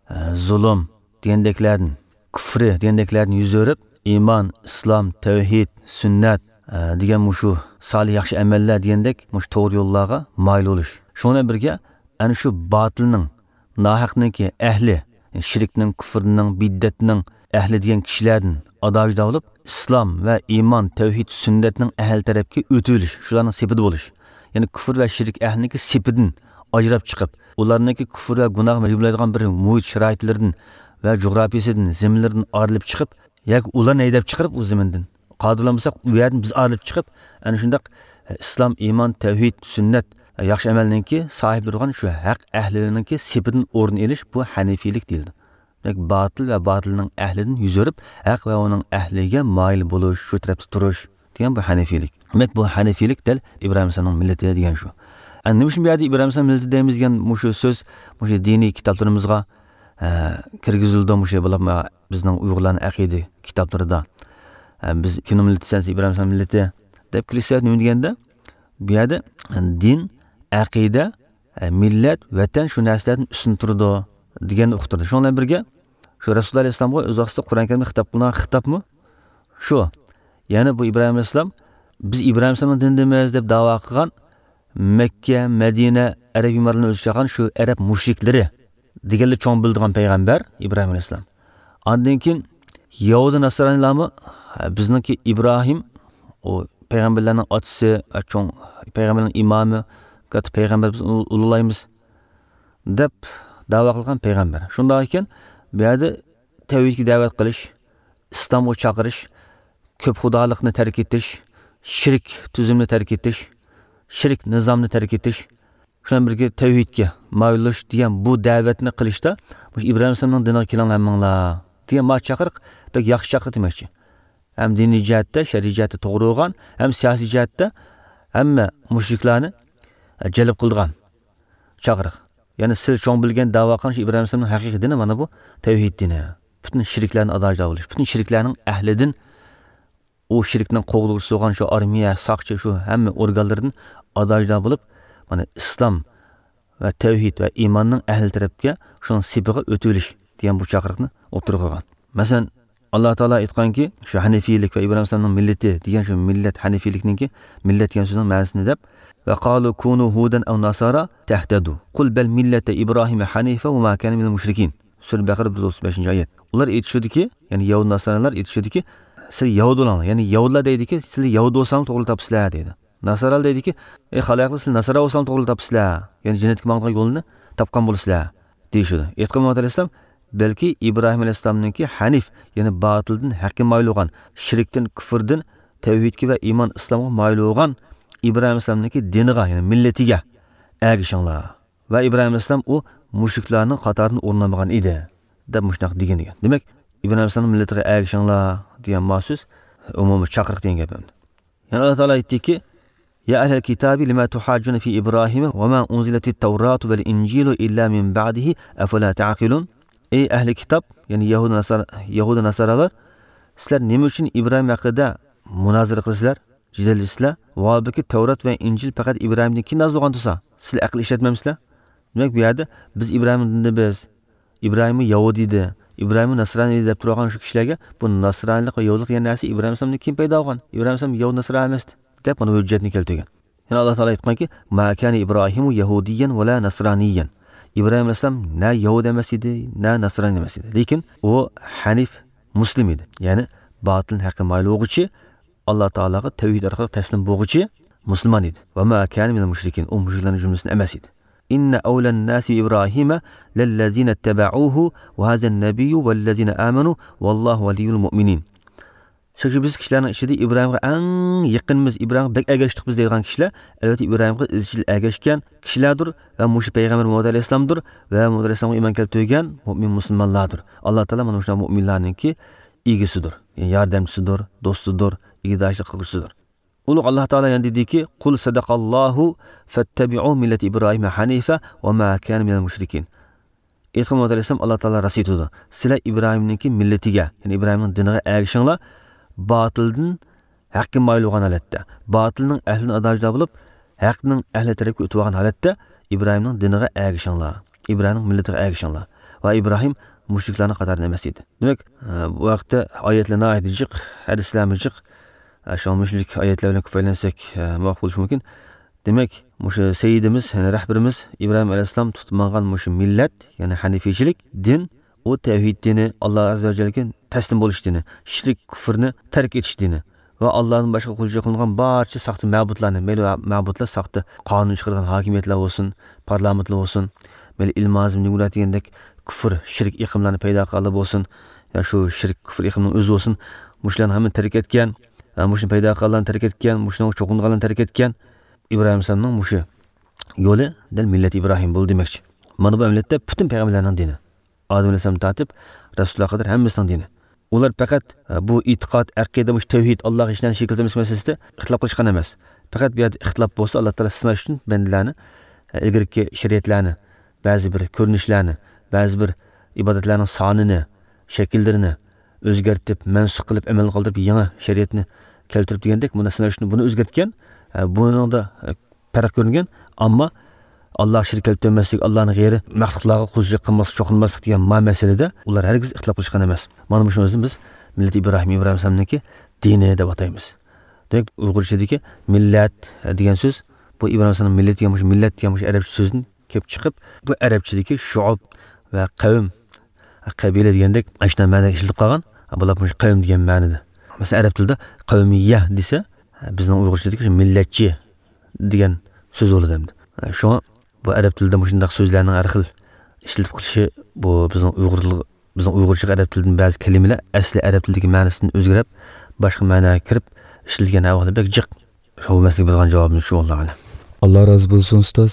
ئە، زۇلۇم دېگەندەكلەردىن، كۇفرى دېگەندەكلەردىن يۈز ئۆرۈپ، ئىمان، ئىسلام، تەۋھىد، سۈننەت، ئە، دېگەن مۇشۇ سالىھ ياخشى ئەمەللەر دېگەندەك مۇشۇ توغرا يوللارغا مايىل بولۇش. شۇنىڭ بىلەن بىرگە، ئەنە شۇ باتىلنىڭ، ناھەقنىڭكى ئەھلى، شىركنىڭ، كۇفرنىڭ، بىدئەتنىڭ ئەھلى دېگەن كىشىلەردىن ئادا-جۇدا بولۇپ، ئىسلام ۋە ئىمان، تەۋھىد، سۈننەتنىڭ ئەھلى تەرەپكە ئۆتۈۋېلىش، شۇلارنىڭ سېپىدە بولۇش. يەنى كۇفر ۋە شىرك ئەھلىنىڭكى سېپىدىن ئاجراپ چىقىپ، ئۇلارنىڭكى كۇفر ۋە گۇناھ يۈرمەيدىغان بىر مۇھىت شارائىتلىرىدىن ۋە جۇغراپىيىسىدىن، زېمىنلىرىدىن ئايرىلىپ چىقىپ، ياكى ئۇلارنى ھەيدەپ چىقىرىپ ئۇ زېمىندىن، قادىر بولمىساق، ئۇ يەردىن بىز ئايرىلىپ چىقىپ، ئەنە شۇنداق ئىسلام، ئىمان، تەۋھىد، سۈننەت، ياخشى ئەمەلنىڭكى ساھىبلىرى بولغان شۇ ھەق ئەھلىنىڭكى سېپىدىن ئورۇن ئېلىش، بۇ ھەنىفىيلىك دېيىلىدۇ. دېمەك، باتىل ۋە باتىلنىڭ ئەھلىدىن يۈز ئۆرۈپ، ھەق ۋە ئۇنىڭ ئەھلىگە مايىل بولۇش، شۇ تەرەپتە تۇرۇش دېگەن بۇ ھەنىفىيلىك. دېمەك، بۇ ھەنىفىيلىك دەل ئىبراھىم ئەلەيھىسسالامنىڭ مىللىتى دېگەن شۇ. ئەنە نېمە ئۈچۈن بۇ يەردە ئىبراھىم ئەلەيھىسسالام مىللىتى دەيمىز دېگەن مۇشۇ سۆز، مۇشۇ دىنىي كىتابلىرىمىزغا، ئە، كىرگۈزۈلىدۇ، مۇشۇ بولۇپمۇ بىزنىڭ ئۇيغۇرلارنىڭ ئەقىدە كىتابلىرىدا، ئە، بىز كىمنىڭ مىللىتى دېسە، ئىبراھىم ئەلەيھىسسالام مىللىتى دەپ كىرىش سەۋەبى نېمە دېگەندە، بۇ يەردە دىن، ئەقىدە، ئە، مىللەت، ۋەتەن شۇ نەرسىلەردىن ئۈستۈن تۇرىدۇ دېگەننى ئۇقتۇردى. شۇنىڭ بىلەن بىرگە، شۇ رەسۇلۇللا ئەلەيھىسسالامغا ئۆز ۋاقتىدا قۇرئان كەرىمدە خىتاب قىلىنغان خىتابمۇ شۇ. يەنى بۇ ئىبراھىم ئەلەيھىسسالام، بىز ئىبراھىم ئەلەيھىسسالامنىڭ دىنىدىمىز دەپ داۋا قىلغان مەككە، مەدىنە، ئەرەب ئىمارىتىنى ئۆز ئىچىگە ئالغان شۇ ئەرەب مۇشرىكلىرى دېگەنلىك چوڭ بىلىدىغان پەيغەمبەر ئىبراھىم ئەلەيھىسسالام. ئاندىن كېيىن يەھۇدىي ناسرانىيلارمۇ، ھە، بىزنىڭكى ئىبراھىم، ئۇ پەيغەمبەرلەرنىڭ ئاتىسى، ھە، چوڭ پەيغەمبەرنىڭ ئىمامى، كاتتا پەيغەمبەر، بىز ئۇنى ئۇلۇغلايمىز دەپ داۋا قىلغان پەيغەمبەر. شۇنداق ئىكەن، بۇ يەردە تەۋھىدكە دەۋەت قىلىش، ئىسلامغا چاقىرىش، كۆپ خۇدالىقنى تەرك ئېتىش، شىرك تۈزۈمنى تەرك ئېتىش، شىرك نىزامنى تەرك ئېتىش، شۇنىڭ بىلەن بىرگە تەۋھىدكە مايىل بولۇش دېگەن بۇ دەۋەتنى قىلىشتا، مۇشۇ ئىبراھىم ئەلەيھىسسالامنىڭ دىنىغا كېلىڭلار ھەممىڭلار دېگەن ما چاقىرىق بەك ياخشى چاقىرىق دېمەكچى. ھەم دىنىي جەھەتتە، شەرئىي جەھەتتە توغرا بولغان، ھەم سىياسىي جەھەتتە ھەممە مۇشرىكلارنى جەلپ قىلىدىغان چاقىرىق. يەنى سىز چوڭ بىلگەن، داۋا قىلغان شۇ ئىبراھىم ئەلەيھىسسالامنىڭ ھەقىقىي دىنى مانا بۇ تەۋھىد دىنى. پۈتۈن شىركلەرنى ئادا-جۇدا بولۇش، پۈتۈن شىركلەرنىڭ ئەھلىدىن ئۇ شىركنىڭ قوغدىغۇچىسى بولغان شۇ ئارمىيە، ساقچى، شۇ ھەممە ئورگانلىرىدىن ئادا-جۇدا بولۇپ، مانا، ئىسلام ۋە تەۋھىد ۋە ئىماننىڭ ئەھلى تەرەپكە شۇنىڭ سېپىغا ئۆتۈۋېلىش دېگەن بۇ چاقىرىقنى ئوتتۇرىغا قويغان. مەسىلەن، ئاللا تائالا ئېيتقانكى، شۇ ھەنىفىيلىك ۋە ئىبراھىم ئەلەيھىسسالامنىڭ مىللىتى دېگەن شۇ مىللەت، ھەنىفىيلىكنىڭكى مىللەت دېگەن سۆزنىڭ مەنىسىنى دەپ، «وقالوا كونوا هودا أو نصارى تهتدوا قل بل ملة إبراهيم حنيفا وما كان من المشركين». سۈرە بەقەرە بىر يۈز ئوتتۇز بەشىنچى ئايەت. ئۇلار ئېيتىشىدىكى، يەنى يەھۇد ناسارالار ئېيتىشىدىكى، «سىلەر يەھۇد بولۇڭلار»، يەنى يەھۇدلار دەيدىكى، «سىلەر يەھۇد بولساڭلار توغرا تاپىسىلەر» دەيدۇ. ناسارالار دەيدىكى، «ئەي خالايىقلار، سىلەر ناسارا بولساڭلار توغرا تاپىسىلەر، يەنى جەننەتكە ماڭىدىغان يولنى تاپقان بولىسىلەر» دېيىشىدۇ. ئېيتقان مۇھەممەد ئەلەيھىسسالام، بەلكى ئىبراھىم ئەلەيھىسسالامنىڭكى ھەنىف، يەنى باتىلدىن ھەققە مايىل بولغان، شىركتىن، كۇفۇردىن تەۋھىدكە ۋە ئىمان ئىسلامغا مايىل بولغان ئىبراھىم ئەلەيھىسسالامنىڭكى دىنىغا، يەنى مىللىتىگە ئەگىشىڭلار. ۋە ئىبراھىم ئەلەيھىسسالام ئۇ مۇشرىكلارنىڭ قاتارىدىن ئورۇن ئالمىغان ئىدى، دەپ مۇشۇنداق دېگەن ئىكەن. دېمەك، ئىبراھىم ئەلەيھىسسالامنىڭ مىللىتىگە ئەگىشىڭلار دېگەن ما سۆز ئومۇمىي چاقىرىق دېگەن گەپ ئەمدى. يەنە ئاللا تائالا ئېيتتىكى، يا أهل الكتاب لم تحاجون في إبراهيم وما أنزلت التوراة والإنجيل إلا من بعده أفلا تعقلون. ئەي ئەھلى كىتاب، يەنى يەھۇدىي ناسارا، يەھۇدىي ناسارالار، سىلەر نېمە ئۈچۈن ئىبراھىم ھەققىدە مۇنازىرە قىلىسىلەر؟ جېدەللىشىسىلەر. ۋاھالبۇكى، تەۋرات ۋە ئىنجىل پەقەت ئىبراھىمدىن كېيىن نازىل بولغان تۇرسا، سىلەر ئەقىل ئىشلەتمەمسىلەر؟ دېمەك، بۇ يەردە بىز ئىبراھىمنىڭ دىنىدا بىز، ئىبراھىممۇ يەھۇدىي ئىدى، ئىبراھىم ناسرانىي دەپ تۇرغان شۇ كىشىلەرگە بۇ ناسرانىيلىق ۋە يەھۇدىيلىق دېگەن نەرسە ئىبراھىم ئەلەيھىسسالامدىن كېيىن پەيدا بولغان. ئىبراھىم ئەلەيھىسسالام يەھۇدىي ناسرانىي ئەمەس دەپ مانا ھۆججەتنى كەلتۈرگەن. يەنە ئاللا تائالا ئېيتقانكى، ما كان إبراهيم يهوديا ولا نصرانيا. ئىبراھىم ئەلەيھىسسالام نە يەھۇدىي ئەمەس ئىدى، نە ناسرانىي ئەمەس ئىدى. لېكىن ئۇ ھەنىف مۇسلىم ئىدى. يەنى باتىلدىن ھەققە مايىل بولغۇچى، ئاللا تائالاغا تەۋھىد ئارقىلىق تەسلىم بولغۇچى مۇسۇلمان ئىدى. وما كان من المشركين، ئۇ مۇشرىكلارنىڭ جۈملىسىدىن ئەمەس ئىدى. إن أولى الناس بإبراهيم للذين اتبعوه وهذا النبي والذين آمنوا والله ولي المؤمنين. شەك-شۈبھىسىز كىشىلەرنىڭ ئىچىدە ئىبراھىمغا ئەڭ يېقىنمىز، ئىبراھىمغا بەك ئەگەشتۇق بىز دەيدىغان كىشىلەر، ئەلۋەتتە، ئىبراھىمغا ئىزچىل ئەگەشكەن كىشىلەردۇر ۋە مۇشۇ پەيغەمبەر مۇھەممەد ئەلەيھىسسالامدۇر ۋە مۇھەممەد ئەلەيھىسسالامغا ئىمان كەلتۈرگەن مۆمىن مۇسۇلمانلاردۇر. ئاللا تائالا مانا مۇشۇنداق مۆمىنلارنىڭكى ئىگىسىدۇر، يەنى ياردەمچىسىدۇر، دوستىدۇر، ئىگىدارچىلىق قىلغۇچىسىدۇر. ئۇلۇغ ئاللا تائالا يەنە دېدىكى، قل صدق الله فاتبعوا ملة إبراهيم حنيفا وما كان من المشركين. ئېيتقىن، مۇھەممەد ئەلەيھىسسالام، ئاللا تائالا راست ئېيتىدۇ. سىلەر ئىبراھىمنىڭكى مىللىتىگە، يەنى ئىبراھىمنىڭ دىنىغا ئەگىشىڭلار، باتىلدىن ھەققە مايىل بولغان ھالەتتە، باتىلنىڭ ئەھلىدىن ئادا-جۇدا بولۇپ، ھەقنىڭ ئەھلى تەرەپكە ئۆتۈۋالغان ھالەتتە ئىبراھىمنىڭ دىنىغا ئەگىشىڭلار، ئىبراھىمنىڭ مىللىتىگە ئەگىشىڭلار. ۋە ئىبراھىم مۇشرىكلارنىڭ قاتارىدىن ئەمەس ئىدى. دېمەك، بۇ ھەقتە ئايەتلەر ناھايىتى جىق، ھەدىسلەرمۇ جىق. شۇڭا مۇشۇنچىلىك ئايەتلەر بىلەن كۇپايىلەنسەك، مۇۋاپىق بولۇشى مۇمكىن. دېمەك، مۇشۇ سەييىدىمىز، يەنى رەھبىرىمىز ئىبراھىم ئەلەيھىسسالام تۇتۇپ ماڭغان مۇشۇ مىللەت، يەنى ھەنىفىيچىلىك دىن، ئۇ تەۋھىد دىنى، ئاللا ئەززە ۋە جەللەگە تەسلىم بولۇش دىنى، شىرك، كۇفرنى تەرك ئېتىش دىنى ۋە ئاللادىن باشقا قۇلچىلىق قىلىنغان بارچە ساختا مەبۇدلارنى، مەيلى مەبۇدلار ساختا قانۇن چىقارغان ھاكىمىيەتلەر بولسۇن، پارلامېنتلار بولسۇن، مەيلى ئىلمازم دېموكرات دېگەندەك كۇفر، شىرك ئېقىملارنى پەيدا قىلغانلار بولسۇن، يا شۇ شىرك، كۇفر ئېقىمنىڭ ئۆزى بولسۇن، مۇشۇلارنى ھەممىنى تەرك ئەتكەن، ھە، مۇشۇنى پەيدا قىلغانلارنى تەرك ئەتكەن، مۇشۇنىڭغا چوقۇنغانلارنى تەرك ئەتكەن. ئىبراھىم ئەلەيھىسسالامنىڭ مۇشۇ يولى دەل مىللەت ئىبراھىم بولدى دېمەكچى. مانا بۇ ئەمەلىيەتتە پۈتۈن پەيغەمبەرلەرنىڭ دىنى. ئادەم ئەلەيھىسسالام تارتىپ رەسۇللارغا قەدەر ھەممىسىنىڭ دىنى. ئۇلار پەقەت، ھە، بۇ ئېتىقاد، ئەقىدە، مۇشۇ تەۋھىد، ئاللاغا ھېچ نەرسە شېرىك كەلتۈرمەسلىك مەسىلىسىدە ئىختىلاپ قىلىشقان ئەمەس. پەقەت بۇ يەردە ئىختىلاپ بولسا، ئاللا تائالا سىناش ئۈچۈن بەندىلەرنى، ھە، ئىلگىرىكى شەرىئەتلەرنى، بەزى بىر كۆرۈنۈشلەرنى، بەزى بىر ئىبادەتلەرنىڭ سانىنى، شەكىللىرىنى ئۆزگەرتىپ، مەنسۇخ قىلىپ، ئەمەل قالدۇرۇپ، يېڭى شەرىئەتنى كەلتۈرۈپ دېگەندەك، مۇندا سىناش ئۈچۈن بۇنى ئۆزگەرتكەن. ھە، بۇنىڭدا، ھە، پەرق كۆرۈنگەن. ئەمما ئاللاغا شېرىك كەلتۈرمەسلىك، ئاللانىڭ غەيرى مەخلۇقلارغا قۇلچىلىق قىلماسلىق، چوقۇنماسلىق دېگەن ما مەسىلىدە ئۇلار ھەرگىز ئىختىلاپ قىلىشقان ئەمەس. مانا مۇشۇنىڭ ئۆزىنى بىز مىللەت ئىبراھىم، ئىبراھىم ئەلەيھىسسالامنىڭكى دىنى دەپ ئاتايمىز. دېمەك، ئۇيغۇرچىدىكى مىللەت دېگەن سۆز، بۇ ئىبراھىم ئەلەيھىسسالامنىڭ مىللىتى دېگەن مۇشۇ مىللەت دېگەن مۇشۇ ئەرەبچە سۆزدىن كېلىپ چىقىپ، بۇ ئەرەبچىدىكى شۇئۇب ۋە قەۋم، قەبىلە دېگەندەك ئاشۇنداق مەنىدە ئىشلىتىپ قالغان. بۇلار مۇشۇ قەۋم دېگەن مەنىدە. مەسىلەن، ئەرەب تىلىدا قەۋمىيە دېسە، بىزنىڭ ئۇيغۇرچىدىكى شۇ مىللەتچى دېگەن سۆز بولىدۇ ئەمدى. شۇڭا بۇ ئەرەب تىلىدا مۇشۇنداق سۆزلەرنىڭ ھەر خىل ئىشلىتىپ قېلىشى، بۇ بىزنىڭ ئۇيغۇرلۇق، بىزنىڭ ئۇيغۇرچىغا ئەرەب تىلىدىن بەزى كەلىمىلەر ئەسلى ئەرەب تىلىدىكى مەنىسىدىن ئۆزگىرىپ، باشقا مەنىگە كىرىپ ئىشلىتىلگەن ئەھۋاللار بەك جىق. شۇ بولماسلىقى بىلغان جاۋابىمىز شۇ، ۋاللاھۇ ئەلەم. ئاللا رازى بولسۇن، ئۇستاز.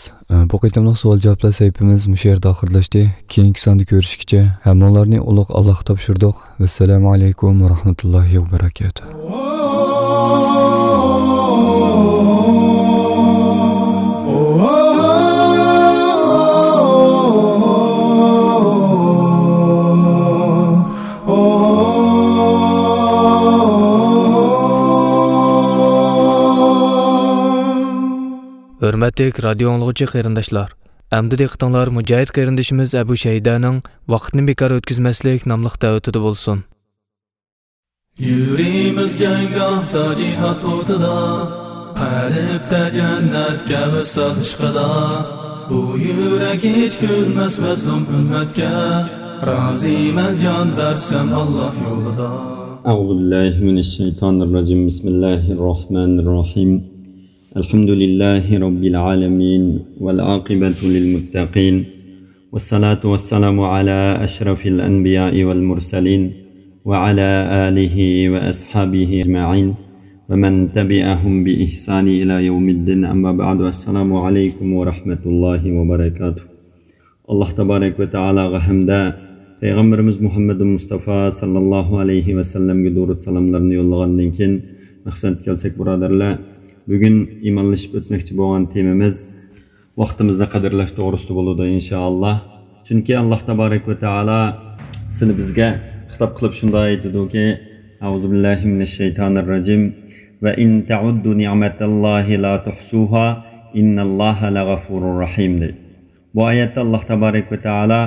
بۇ قېتىملىق سوئال-جاۋابلار سەھىپىمىز مۇشۇ يەردە ئاخىرلاشتى. كېيىنكى ساندا كۆرۈشكىچە ھەممىڭلارنى ئۇلۇغ ئاللاغا تاپشۇردۇق. ۋەسسالامۇ ئەلەيكۇم ۋە رەھمەتۇللاھى ۋە بەرەكاتۇھ. ھۆرمەتلىك رادىيو ئاڭلىغۇچى قېرىنداشلار، ئەمدى دىققىتىڭلار مۇجاھىد قېرىندىشىمىز ئەبۇ شەيدانىڭ ۋاقىتنى بىكار ئۆتكۈزمەسلىك ناملىق دەۋىتىدە بولسۇن. يۈرىمىز جەڭگاھتا جىھاد ئوتىدا، قەلبتە جەننەتكە ۋىسال ئىشقىدا. بۇ يۈرەك ھېچ كۈلمەس مەزلۇم ئۈممەتكە، رازىمەن جان بەرسەم ئاللا يولىدا. أعوذ بالله من الشيطان الرجيم. بسم الله الرحمن الرحيم. الحمد لله رب العالمين، والعاقبة للمتقين، والصلاة والسلام على أشرف الأنبياء والمرسلين، وعلى آله وأصحابه أجمعين، ومن تبعهم بإحسان إلى يوم الدين. أما بعد، السلام عليكم ورحمة الله وبركاته. ئاللا تابارەك ۋە تائالاغا ھەمدە پەيغەمبىرىمىز مۇھەممەدۇل مۇستافا ساللاللاھۇ ئەلەيھى ۋەسەللەمگە دۇرۇت سالاملارنى يوللىغاندىن كېيىن مەقسەتكە كەلسەك، بۇرادەرلەر، بۈگۈن ئىمانلىشىپ ئۆتمەكچى بولغان تېمىمىز، ۋاقتىمىزنى قەدىرلەش توغرىسىدا بولىدۇ، ئىنشائاللا. چۈنكى ئاللا تابارەك ۋە تائالا سىلى بىزگە خىتاب قىلىپ شۇنداق ئېيتىدۇكى، أعوذ بالله من الشيطان الرجيم، وإن تعدوا نعمة الله لا تحصوها إن الله لغفور رحيم، دەيدۇ. بۇ ئايەتتە ئاللا تابارەك ۋە تائالا،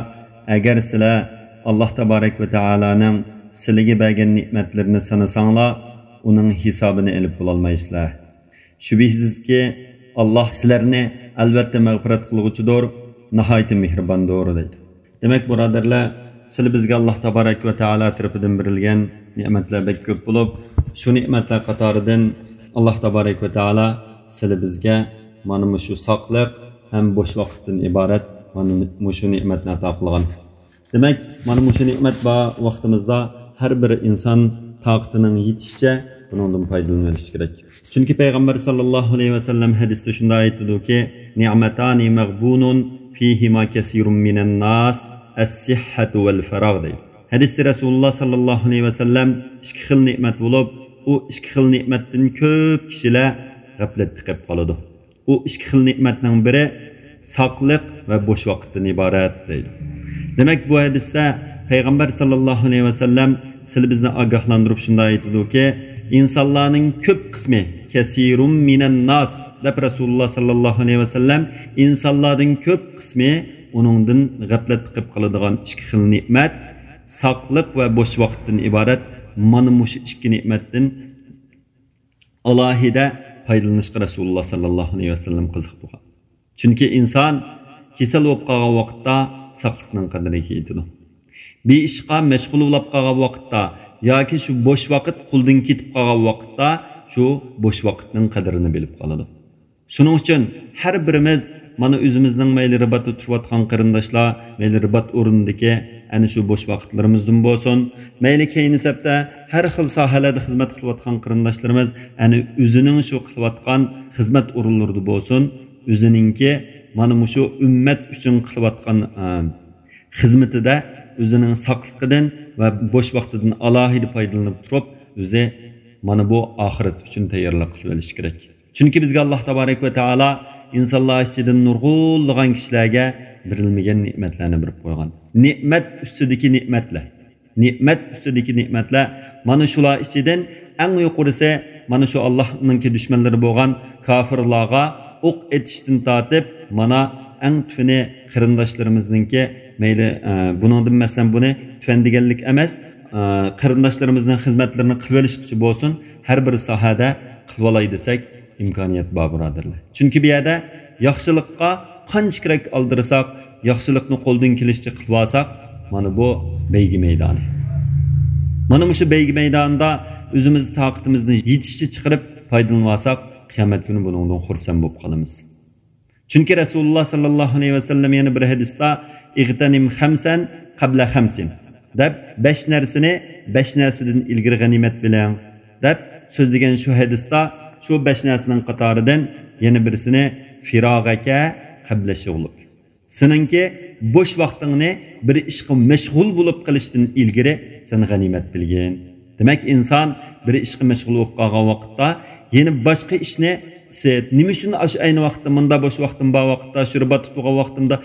ئەگەر سىلەر ئاللاھ تابارەك ۋە تائالانىڭ سىلىگە بەرگەن نېمەتلىرىنى سانىساڭلار، ئۇنىڭ ھېسابىنى ئېلىپ بولالمايسىلەر. شۈبھىسىزكى، ئاللاھ سىلەرنى ئەلۋەتتە مەغپىرەت قىلغۇچىدۇر، ناھايىتى مېھرىباندۇر، دەيدۇ. دېمەك، بۇرادەرلەر، سىلى بىزگە ئاللاھ تابارەك ۋە تائالا تەرىپىدىن بېرىلگەن نېمەتلەر بەك كۆپ بولۇپ، شۇ نېمەتلەر قاتارىدىن ئاللاھ تابارەك ۋە تائالا سىلى بىزگە مانا مۇشۇ ساقلىق ھەم بوش ۋاقىتتىن ئىبارەت مانا مۇشۇ نېمەتنى ئاتا قىلغان. دېمەك، مانا مۇشۇ نېمەت بار ۋاقتىمىزدا ھەر بىر ئىنسان تاقىتىنىڭ يېتىشىچە بۇنىڭدىن پايدىلىنىۋېلىشى كېرەك. چۈنكى پەيغەمبەر ساللاللاھۇ ئەلەيھى ۋەسەللەم ھەدىستە شۇنداق ئېيتىدۇكى، نىئمەتانى مەغبۇنۇن فىھىما كەسىرۇن مىنەنناس، ئەسسىھھەتۇ ۋەل فەراغ، دەيدۇ. ھەدىستە رەسۇلۇللاھ ساللاللاھۇ ئەلەيھى ۋەسەللەم ئىككى خىل نېمەت بولۇپ، ئۇ ئىككى خىل نېمەتتىن كۆپ كىشىلەر غەپلەتتە قېلىپ قالىدۇ. ئۇ ئىككى خىل نېمەتنىڭ بىرى ساقلىق ۋە بوش ۋاقىتتىن ئىبارەت، دەيدۇ. دېمەك، بۇ ھەدىستە پەيغەمبەر ساللاللاھۇ ئەلەيھى ۋەسەللەم سىلى بىزنى ئاگاھلاندۇرۇپ شۇنداق ئېيتىدۇكى، ئىنسانلارنىڭ كۆپ قىسمى، كەسىرۇم مىنەن ناس، دەپ رەسۇلۇللاھ ساللاللاھۇ ئەلەيھى ۋەسەللەم، ئىنسانلاردىن كۆپ قىسمى ئۇنىڭدىن غەپلەتتە قېلىپ قالىدىغان ئىككى خىل نېمەت، ساقلىق ۋە بوش ۋاقىتتىن ئىبارەت مانا مۇشۇ ئىككى نېمەتتىن ئالاھىدە پايدىلىنىشقا رەسۇلۇللاھ ساللاللاھۇ ئەلەيھى ۋەسەللەم قىزىقتۇرغان. چۈنكى ئىنسان كېسەل بولۇپ قالغان ۋاقىتتا ساقلىقنىڭ قەدرىگە يېتىدۇ. بىر ئىشقا مەشغۇل بولۇپ قالغان ۋاقىتتا ياكى شۇ بوش ۋاقىت قولدىن كېتىپ قالغان ۋاقىتتا شۇ بوش ۋاقىتنىڭ قەدرىنى بىلىپ قالىدۇ. شۇنىڭ ئۈچۈن ھەر بىرىمىز مانا ئۆزىمىزنىڭ مەيلى رىباتتا تۇرۇۋاتقان قېرىنداشلار، مەيلى رىبات ئورنىدىكى ئەنە شۇ بوش ۋاقىتلىرىمىزدىن بولسۇن، مەيلى كەينى سەپتە ھەر خىل ساھەلەردە خىزمەت قىلىۋاتقان قېرىنداشلىرىمىز ئەنە ئۆزىنىڭ شۇ قىلىۋاتقان خىزمەت ئورۇنلىرىدا بولسۇن، ئۆزىنىڭكى مانا مۇشۇ ئۈممەت ئۈچۈن قىلىۋاتقان، ئە، خىزمىتىدە ئۆزىنىڭ ساقلىقىدىن ۋە بوش ۋاقتىدىن ئالاھىدە پايدىلىنىپ تۇرۇپ، ئۆزى مانا بۇ ئاخىرەت ئۈچۈن تەييارلىق قىلىۋېلىشى كېرەك. چۈنكى بىزگە ئاللاھ تابارەك ۋە تائالا ئىنسانلار ئىچىدىن نۇرغۇنلىغان كىشىلەرگە بېرىلمىگەن نېمەتلەرنى بېرىپ قويغان. نېمەت ئۈستىدىكى نېمەتلەر. نېمەت ئۈستىدىكى نېمەتلەر. مانا شۇلار ئىچىدىن ئەڭ يۇقىرىسى مانا شۇ ئاللاھنىڭكى دۈشمەنلىرى بولغان كاپىرلارغا ئوق ئېتىشتىن تارتىپ، مانا ئەڭ تۆۋىنى قېرىنداشلىرىمىزنىڭكى مەيلى، ئە، بۇنىڭدىن مەسىلەن بۇنى تۆۋەن دېگەنلىك ئەمەس، ئە، قېرىنداشلىرىمىزنىڭ خىزمەتلىرىنى قىلىۋېلىشقىچە بولسۇن، ھەر بىر ساھەدە قىلىۋالاي دېسەك، ئىمكانىيەت بار، بۇرادەرلەر. چۈنكى بۇ يەردە ياخشىلىققا قانچە كېرەك ئالدىرىساق، ياخشىلىقنى قولدىن كېلىشىچە قىلىۋالساق، مانا بۇ بەيگە مەيدانى. مانا مۇشۇ بەيگە مەيدانىدا ئۆزىمىز تاقىتىمىزنى يېتىشىچە چىقىرىپ پايدىلىنىۋالساق، قىيامەت كۈنى بۇنىڭدىن خۇرسەن بولۇپ قالىمىز. چۈنكى رەسۇلۇللاھ ساللاللاھۇ ئەلەيھى ۋەسەللەم يەنە بىر ھەدىستە، ئىغتەنىم خەمسەن قەبلە خەمسىن، دەپ، بەش نەرسىنى بەش نەرسىدىن ئىلگىرى غەنىيمەت بىلىڭ، دەپ سۆزلىگەن شۇ ھەدىستە شۇ بەش نەرسىنىڭ قاتارىدىن يەنە بىرسىنى فىراغەكە قەبلە شۇغلۇك. سېنىڭكى بوش ۋاقتىڭنى بىر ئىشقا مەشغۇل بولۇپ قېلىشتىن ئىلگىرى سەن غەنىيمەت بىلگىن. دېمەك، ئىنسان بىر ئىشقا مەشغۇل بولۇپ قالغان ۋاقىتتا يەنە باشقا ئىشنى، نېمە ئۈچۈن ئاشۇ ئەينى ۋاقىتتا، مۇندا بوش ۋاقتىم بار ۋاقىتتا، شۇ رىباتتا تۇرغان ۋاقتىمدا،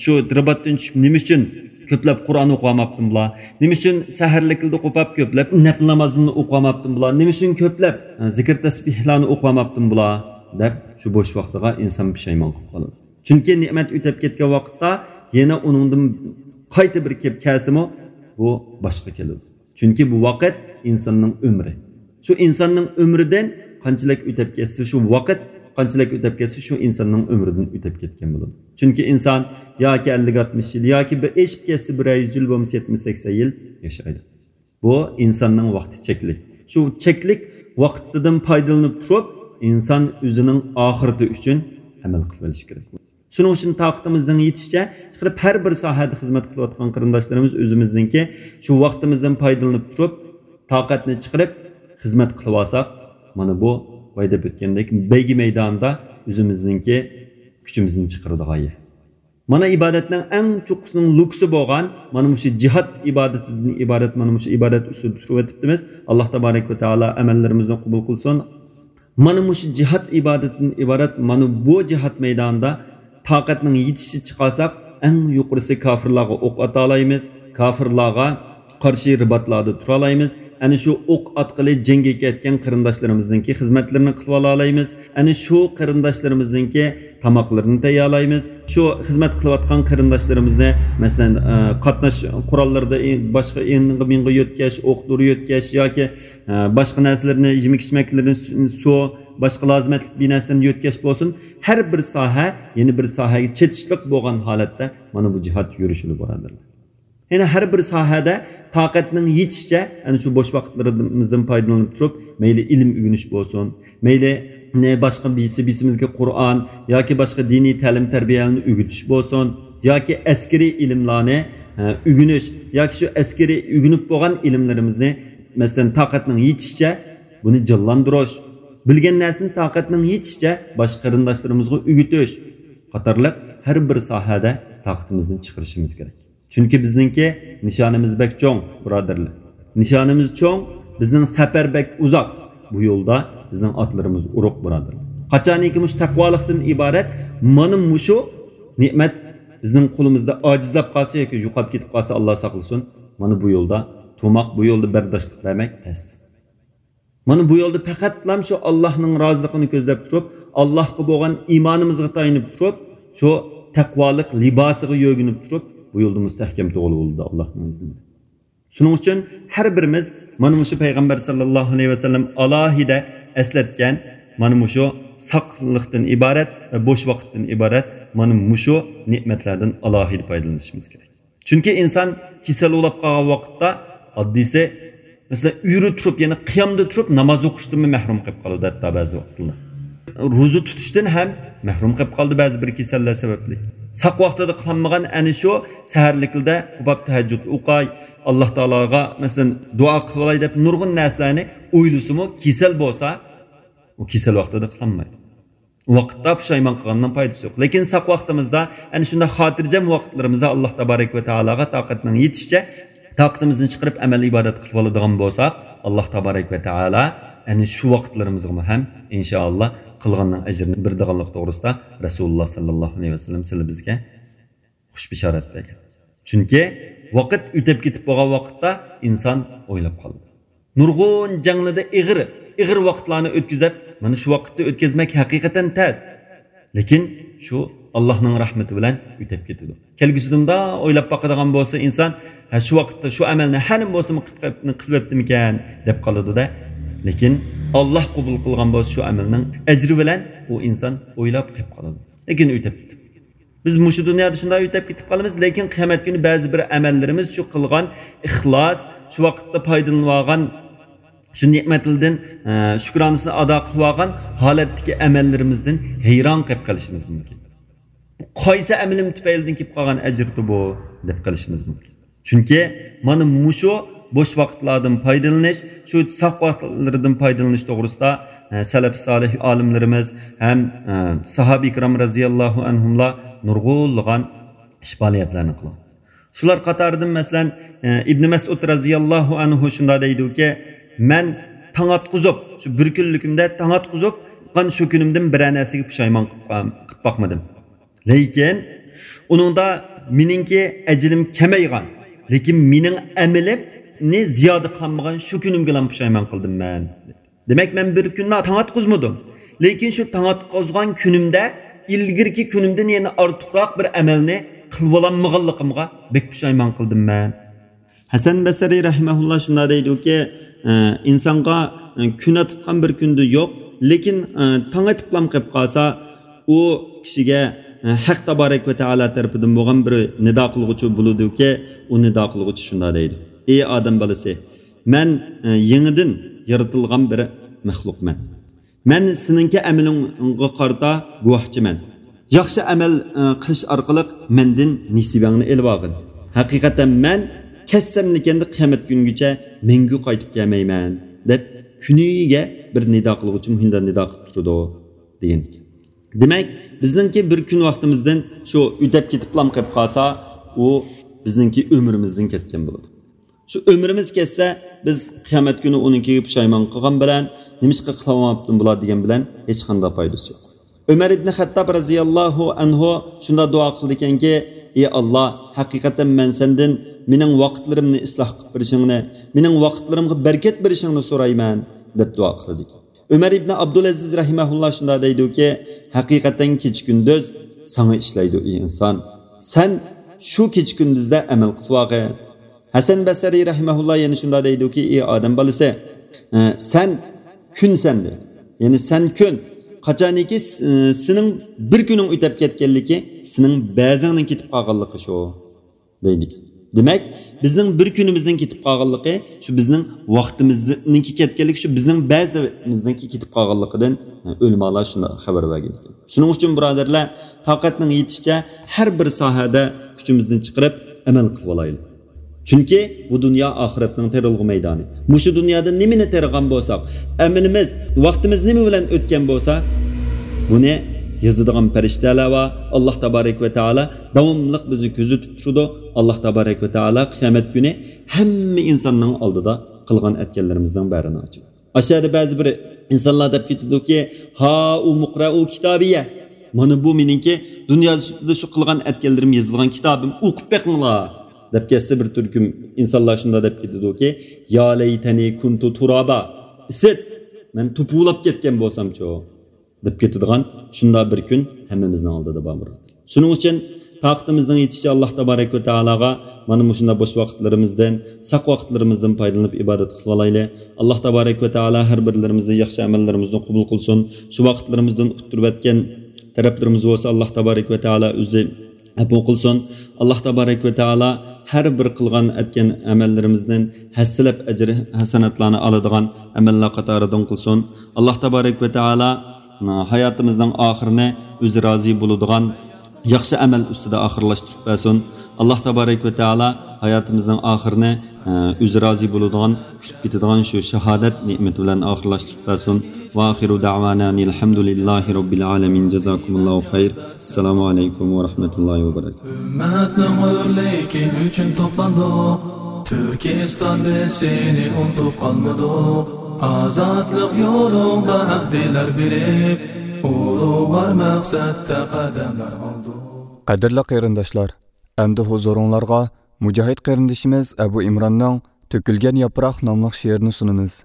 شۇ رىباتتىن چۈشۈپ نېمە ئۈچۈن كۆپلەپ قۇرئان ئوقۇۋالماپتىم بۇلار؟ نېمە ئۈچۈن سەھەرلىكلىدە قوپاپ كۆپلەپ نەپلى نامازلىرىنى ئوقۇۋالماپتىم بۇلار؟ نېمە ئۈچۈن كۆپلەپ، ئە، زىكىر تەسبىھلارنى ئوقۇۋالماپتىم بۇلار؟ دەپ شۇ بوش ۋاقتىغا ئىنسان پۇشايمان قىلىپ قالىدۇ. چۈنكى نېمەت ئۆتەپ كەتكەن ۋاقىتتا يەنە ئۇنىڭدىن قايتا بىر كېلىپ كەلسىمۇ، بۇ باشقا كېلىدۇ. چۈنكى بۇ ۋاقىت ئىنساننىڭ ئۆمرى. شۇ ئىنساننىڭ ئۆمرىدىن قانچىلىك ئۆتەپ كەتسە، شۇ ۋاقىت قانچىلىك ئۆتەپ كەتسە، شۇ ئىنساننىڭ ئۆمرىدىن ئۆتەپ كەتكەن بولىدۇ. چۈنكى ئىنسان ياكى ئەللىك ئاتمىش يىل، ياكى بىر ئېشىپ كەتسە، بىرەر يۈز يىل، بولمىسا يەتمىش، سەكسەن يىل ياشايدۇ. بۇ ئىنساننىڭ ۋاقتى چەكلىك. شۇ چەكلىك ۋاقتىدىن پايدىلىنىپ تۇرۇپ، ئىنسان ئۆزىنىڭ ئاخىرىتى ئۈچۈن ئەمەل قىلىۋېلىشى كېرەك. شۇنىڭ ئۈچۈن تاقىتىمىزنىڭ يېتىشىچە چىقىرىپ، ھەر بىر ساھەدە خىزمەت قىلىۋاتقان قېرىنداشلىرىمىز ئۆزىمىزنىڭكى شۇ ۋاقتىمىزدىن پايدىلىنىپ تۇرۇپ، تاقەتنى چىقىرىپ خىزمەت قىلىۋالساق، مانا بۇ بايا دەپ ئۆتكەندەك بەيگە مەيدانىدا ئۆزىمىزنىڭكى كۈچىمىزنى چىقىرىدىغان يەر. مانا ئىبادەتنىڭ ئەڭ چوققىسىنىڭ لوكىسى بولغان مانا مۇشۇ جىھاد ئىبادىتىدىن ئىبارەت مانا مۇشۇ ئىبادەت ئۈستىدە تۇرۇۋېتىپتىمىز. ئاللاھ تابارەك ۋە تائالا ئەمەللىرىمىزنى قوبۇل قىلسۇن. مانا مۇشۇ جىھاد ئىبادىتىدىن ئىبارەت مانا بۇ جىھاد مەيدانىدا تاقەتنىڭ يېتىشىچە چىقارساق، ئەڭ يۇقىرىسى كاپىرلارغا ئوق ئاتالايمىز، كاپىرلارغا قارشى رىباتلاردا تۇرالايمىز. ئەنە شۇ ئوق ئاتقىلى جەڭگە كەتكەن قېرىنداشلىرىمىزنىڭكى خىزمەتلىرىنى قىلىۋالالايمىز. ئەنە شۇ قېرىنداشلىرىمىزنىڭكى تاماقلىرىنى تەييارلايمىز. شۇ خىزمەت قىلىۋاتقان قېرىنداشلىرىمىزنى، مەسىلەن، ئە، قاتناش قوراللىرىدا ئى-، باشقا ئېڭىغا مېڭىغا يۆتكەش، ئوق دورا يۆتكەش ياكى، ئە، باشقا نەرسىلەرنى، يېمەك ئىچمەكلىرىنى، سۇ، سۇ، باشقا لازىمەتلىك بىر نەرسىلەرنى يۆتكەش بولسۇن، ھەر بىر ساھە يەنە بىر ساھەگە چېتىشلىق بولغان ھالەتتە مانا بۇ جىھاد يۈرۈشىدۇ، بۇرادەرلەر. يەنە ھەر بىر ساھەدە تاقەتنىڭ يېتىشىچە، ئەنە شۇ بوش ۋاقىتلىرىمىزدىن پايدىلىنىپ تۇرۇپ، مەيلى ئىلىم ئۆگىنىش بولسۇن، مەيلى، نە، باشقا بىيسى، بىيسىمىزگە قۇرئان ياكى باشقا دىنىي تەلىم-تەربىيەلەرنى ئۆگىتىش بولسۇن، ياكى ئەسكىرىي ئىلىملارنى، ھە، ئۆگىنىش، ياكى شۇ ئەسكىرىي ئۆگىنىپ بولغان ئىلىملىرىمىزنى، مەسىلەن، تاقەتنىڭ يېتىشىچە بۇنى جانلاندۇرۇش، بىلگەن نەرسىنى تاقەتنىڭ يېتىشىچە باشقا قېرىنداشلىرىمىزغا ئۆگىتىش قاتارلىق ھەر بىر ساھەدە تاقىتىمىزنى چىقىرىشىمىز كېرەك. چۈنكى بىزنىڭكى نىشانىمىز بەك چوڭ، بۇرادەرلەر. نىشانىمىز چوڭ، بىزنىڭ سەپەر بەك ئۇزاق. بۇ يولدا بىزنىڭ ئاتلىرىمىز ئۇرۇق، بۇرادەرلەر. قاچانكى مۇشۇ تەقۋالىقتىن ئىبارەت مانا مۇشۇ نېمەت بىزنىڭ قولىمىزدا ئاجىزلاپ قالسا ياكى يوقاپ كېتىپ قالسا، ئاللا ساقلىسۇن، مانا بۇ يولدا تۇرماق، بۇ يولدا بەرداشلىق بەرمەك تەس. مانا بۇ يولدا پەقەتلام شۇ ئاللاھنىڭ رازىلىقىنى كۆزلەپ تۇرۇپ، ئاللاھقا بولغان ئىمانىمىزغا تايىنىپ تۇرۇپ، شۇ تەقۋالىق لىباسىغا يۆگىنىپ تۇرۇپ، بۇ يولدا مۇستەھكەم تۇرغىلى بولىدۇ ئاللاھنىڭ ئىزنى بىلەن. شۇنىڭ ئۈچۈن ھەر بىرىمىز مانا مۇشۇ پەيغەمبەر ساللاللاھۇ ئەلەيھى ۋەسەللەم ئالاھىدە ئەسلەتكەن مانا مۇشۇ ساقلىقتىن ئىبارەت ۋە بوش ۋاقىتتىن ئىبارەت مانا مۇشۇ نېمەتلەردىن ئالاھىدە پايدىلىنىشىمىز كېرەك. چۈنكى ئىنسان كېسەل بولاپ قالغان ۋاقىتتا ئاددىيسى، مەسىلەن، ئۆرە تۇرۇپ، يەنى قىيامدا تۇرۇپ ناماز ئوقۇشتىنمۇ مەھرۇم قېلىپ قالىدۇ، ھەتتا بەزى ۋاقىتلار. روزا تۇتۇشتىن ھەم مەھرۇم قېلىپ قالىدۇ بەزى بىر كېسەللەر سەۋەبلىك. ساق ۋاقتىدا قىلالمىغان ئەنە شۇ سەھەرلىكلىدە قوپاپ تەھەججۇد ئوقاي، ئاللا تائالاغا، مەسىلەن، دۇئا قىلىۋالاي دەپ نۇرغۇن نەرسىلەرنى ئويلىسىمۇ، كېسەل بولسا، ئۇ كېسەل ۋاقتىدا قىلالمايدۇ. ۋاقىتتا پۇشايمان قىلغاندىن پايدىسى يوق. لېكىن ساق ۋاقتىمىزدا، ئەنە شۇنداق خاتىرجەم ۋاقىتلىرىمىزدا ئاللا تابارەك ۋە تائالاغا تاقەتنىڭ يېتىشىچە تاقىتىمىزنى چىقىرىپ ئەمەل ئىبادەت قىلىپ ئالىدىغان بولساق، ئاللا تابارەك ۋە تائالا ئەنە شۇ ۋاقىتلىرىمىزغىمۇ ھەم ئىنشائاللا قىلغاننىڭ ئەجرىنى بېرىدىغانلىقى توغرىسىدا رەسۇلۇللا ساللاللاھۇ ئەلەيھى ۋەسەللەم سىلى بىزگە خۇش بىشارەت بەرگەن. چۈنكى ۋاقىت ئۆتەپ كېتىپ بولغان ۋاقىتتا ئىنسان ئويلاپ قالىدۇ. نۇرغۇن جەڭلىدە ئېغىر، ئېغىر ۋاقىتلارنى ئۆتكۈزۈپ، مانا شۇ ۋاقىتتا ئۆتكۈزمەك ھەقىقەتەن تەس. لېكىن شۇ ئاللاھنىڭ رەھمىتى بىلەن ئۆتەپ كېتىدۇ. كەلگۈسىدە مۇنداق ئويلاپ باقىدىغان بولسا ئىنسان، ھە، شۇ ۋاقىتتا شۇ ئەمەلنى ھەنىمۇ بولسىمۇ قىلىپ، قىلىۋەپتىمىكەن دەپ قالىدۇ-دە. لېكىن ئاللاھ قوبۇل قىلغان بولسا شۇ ئەمەلنىڭ ئەجرى بىلەن ئۇ ئىنسان ئويلاپ قېلىپ قالىدۇ. لېكىن ئۆتەپ كېتىدۇ. بىز مۇشۇ دۇنيادا شۇنداق ئۆتەپ كېتىپ قالىمىز، لېكىن قىيامەت كۈنى بەزى بىر ئەمەللىرىمىز، شۇ قىلغان ئىخلاس، شۇ ۋاقىتتا پايدىلىنىۋالغان شۇ نېمەتلىدىن، ئە، شۈكرانىسىنى ئادا قىلىۋالغان ھالەتتىكى ئەمەللىرىمىزدىن ھەيران قېلىپ قېلىشىمىز مۇمكىن. بۇ قايسى ئەمىلىم تۈپەيلىدىن كېلىپ قالغان ئەجىردۇ بۇ؟ دەپ قېلىشىمىز مۇمكىن. چۈنكى مانا مۇشۇ بوش ۋاقىتلاردىن پايدىلىنىش، شۇ ساق ۋاقىتلىرىدىن پايدىلىنىش توغرىسىدا، ئە، سەلەف سالىھ ئالىملىرىمىز ھەم، ئە، ساھابە ئىكرام رەزىياللاھۇ ئەنھۇملار نۇرغۇنلىغان ئىش پائالىيەتلەرنى قىلغان. شۇلار قاتارىدىن، مەسىلەن، ئە، ئىبن مەسئۇد رەزىياللاھۇ ئەنھۇ شۇنداق دەيدۇكى، مەن تاڭ ئاتقۇزۇپ، شۇ بىر كۈنلۈكۈمدە تاڭ ئاتقۇزۇپ، شۇ كۈنۈمدىن بىرەر نەرسىگە پۇشايمان قىلىپ قا-، قىلىپ باقمىدىم. لېكىن ئۇنىڭدا مېنىڭكى ئەجىلىم كەمەيغان، لېكىن مېنىڭ ئەمىلىمنى زىيادە قىلالمىغان شۇ كۈنۈمگىلا پۇشايمان قىلدىم مەن. دېمەك، مەن بىر كۈنلا تاڭ ئاتقۇزمىدىم. لېكىن شۇ تاڭ ئاتقۇزغان كۈنۈمدە ئىلگىرىكى كۈنۈمدىن يەنە ئارتۇقراق بىر ئەمەلنى قىلىۋالالمىغانلىقىمغا بەك پۇشايمان قىلدىم مەن. ھەسەن بەسرى رەھىمەھۇللا شۇنداق دەيدۇكى، ئە، ئىنسانغا، ئە، كۈن ئاتىتقان بىر كۈندە يوق، لېكىن، ئە، تاڭ ئېتىپلام قېلىپ قالسا، ئۇ كىشىگە، ئە، ھەق تابارەك ۋە تائالا تەرىپىدىن بولغان بىر نىدا قىلغۇچى بولىدۇكى، ئۇ نىدا قىلغۇچى شۇنداق دەيدۇ: ئى ئادەم بالىسى، مەن، ئە، يېڭىدىن يارىتىلغان بىر مەخلۇقمەن. مەن سېنىڭكى ئەمىلىڭغا قارىتا گۇۋاھچىمەن. ياخشى ئەمەل، ئە، قىلىش ئارقىلىق مەندىن نېسىۋەڭنى ئېلىۋالغىن. ھەقىقەتەن مەن كەتسەملىكەندە قىيامەت كۈنگىچە مەڭگۈ قايتىپ كەلمەيمەن، دەپ كۈنىگە بىر نىدا قىلغۇچى مۇھىنداق نىدا قىلىپ تۇرىدۇ، دېگەن ئىكەن. دېمەك، بىزنىڭكى بىر كۈن ۋاقتىمىزدىن شۇ ئۆتەپ كېتىپلام قېلىپ قالسا، ئۇ بىزنىڭكى ئۆمرىمىزدىن كەتكەن بولىدۇ. شۇ ئۆمرىمىز كەتسە، بىز قىيامەت كۈنى ئۇنىڭكىگە پۇشايمان قىلغان بىلەن، نېمىشقا قىلالماپتىم بۇلار دېگەن بىلەن ھېچقانداق پايدىسى يوق. ئۆمەر ئىبنى خەتتاب رەزىياللاھۇ ئەنھۇ شۇنداق دۇئا قىلىدىكەنكى، «ئى ئاللا، ھەقىقەتەن مەن سەندىن مېنىڭ ۋاقىتلىرىمنى ئىسلاھ قىلىپ بېرىشىڭنى، مېنىڭ ۋاقىتلىرىمغا بەرىكەت بېرىشىڭنى سورايمەن» دەپ دۇئا قىلىدىكەن. ئۆمەر ئىبنى ئابدۇلئەزىز رەھىمەھۇللا شۇنداق دەيدۇكى، «ھەقىقەتەن كېچە-كۈندۈز ساڭا ئىشلەيدۇ، ئى ئىنسان. سەن شۇ كېچە-كۈندۈزدە ئەمەل قىلىۋالغىن.» ھەسەن بەسرى رەھىمەھۇللا يەنە شۇنداق دەيدۇكى، «ئى ئادەم بالىسى، ئە، سەن كۈن سەندە. يەنى سەن كۈن. قاچانكى س-، ئە، سېنىڭ بىر كۈنۈڭ ئۆتەپ كەتكەنلىكى سېنىڭ بەزىڭنىڭ كېتىپ قالغانلىقى شۇ» دەيدىكەن. دېمەك، بىزنىڭ بىر كۈنىمىزنىڭ كېتىپ قالغانلىقى شۇ بىزنىڭ ۋاقتىمىزنىڭكى كەتكەنلىكى، شۇ بىزنىڭ بەزىمىزنىڭكى كېتىپ قالغانلىقىدىن، ئە، ئۆلىمالار شۇنداق خەۋەر بەرگەن ئىكەن. شۇنىڭ ئۈچۈن، بۇرادەرلەر، تاقەتنىڭ يېتىشىچە ھەر بىر ساھەدە كۈچىمىزنى چىقىرىپ ئەمەل قىلىۋالايلى. چۈنكى بۇ دۇنيا ئاخىرەتنىڭ تېرىلغۇ مەيدانى. مۇشۇ دۇنيادا نېمىنى تېرىغان بولساق، ئەمىلىمىز، ۋاقتىمىز نېمە بىلەن ئۆتكەن بولسا، بۇنى يازىدىغان پەرىشتەلەر بار. ئاللاھ تابارەك ۋە تائالا داۋاملىق بىزنى كۆزىتىپ تۇرىدۇ. ئاللاھ تابارەك ۋە تائالا قىيامەت كۈنى ھەممە ئىنساننىڭ ئالدىدا قىلغان ئەتكەنلىرىمىزنىڭ بارىنى ئاچىدۇ. ئاشۇ يەردە بەزى بىر ئىنسانلار دەپ كېتىدۇكى، «ھائۇمۇقرائۇ كىتابىيە، مانا بۇ مېنىڭكى دۇنيادا شۇ قىلغان ئەتكەنلىرىم يېزىلغان كىتابىم، ئوقۇپ بېقىڭلار» دەپ كەتسە، بىر تۈركۈم ئىنسانلار شۇنداق دەپ كېتىدۇكى، «يا لەيتەنى كۇنتۇ تۇرابا، ئىسىت، مەن توپا بولاپ كەتكەن بولسامچۇ» دەپ كېتىدىغان شۇنداق بىر كۈن ھەممىمىزنىڭ ئالدىدا بار، بۇرادەر. شۇنىڭ ئۈچۈن تاقىتىمىزنىڭ يېتىشىچە ئاللاھ تابارەك ۋە تائالاغا مانا مۇشۇنداق بوش ۋاقىتلىرىمىزدىن، ساق ۋاقىتلىرىمىزدىن پايدىلىنىپ ئىبادەت قىلىۋالايلى. ئاللاھ تابارەك ۋە تائالا ھەر بىرلىرىمىزنىڭ ياخشى ئەمەللىرىمىزنى قوبۇل قىلسۇن. شۇ ۋاقىتلىرىمىزدىن ئۇتتۇرۇۋەتكەن تەرەپلىرىمىز بولسا، ئاللاھ تابارەك ۋە تائالا ئۆزى ئەپۇ قىلسۇن. ئاللاھ تابارەك ۋە تائالا ھەر بىر قىلغان ئەتكەن ئەمەللىرىمىزدىن ھەسسىلەپ ئەجىر ھەسەناتلارنى ئالىدىغان ئەمەللەر قاتارىدىن قىلسۇن. ئاللاھ تابارەك ۋە تائالا ھاياتىمىزنىڭ ئاخىرىنى ئۆزى رازى بولىدىغان ياخشى ئەمەل ئۈستىدە ئاخىرلاشتۇرۇپ بەرسۇن. ئاللاھ تابارەك ۋە تائالا ھاياتىمىزنىڭ ئاخىرىنى، ئە، ئۆزى رازى بولىدىغان، كۈتۈپ كېتىدىغان شۇ شاھادەت نېمىتى بىلەن ئاخىرلاشتۇرۇپ بەرسۇن. ۋە ئاخىرۇ دەۋانا ئەنىل ھەمدۇلىللاھى رەببىل ئالەمىن. جازاكۇمۇللاھۇ خەير. ئەسسالامۇ ئەلەيكۇم ۋە رەھمەتۇللاھى ۋە بەرەكاتۇھ. ئۈممەتنىڭ ھۆرلۈكى ئۈچۈن توپلاندۇق. تۈركىستان، بىز سېنى ئۇنتۇپ قالمىدۇق. ئازادلىق يولۇڭدا ئەھدىلەر بېرىپ، ئۇلۇغۋار مەقسەتتە قەدەملەر ئالدۇق. قەدىرلىك قېرىنداشلار، ئەمدى ھۇزۇرۇڭلارغا مۇجاھىد قېرىندىشىمىز ئەبۇ ئىمراننىڭ تۆكۈلگەن ياپراق ناملىق شېئىرىنى سۇنىمىز.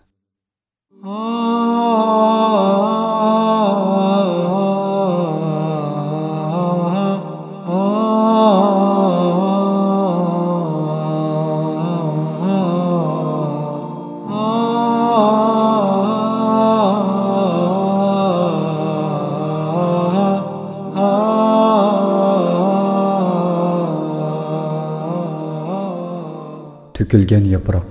تۆكۈلگەن ياپراق.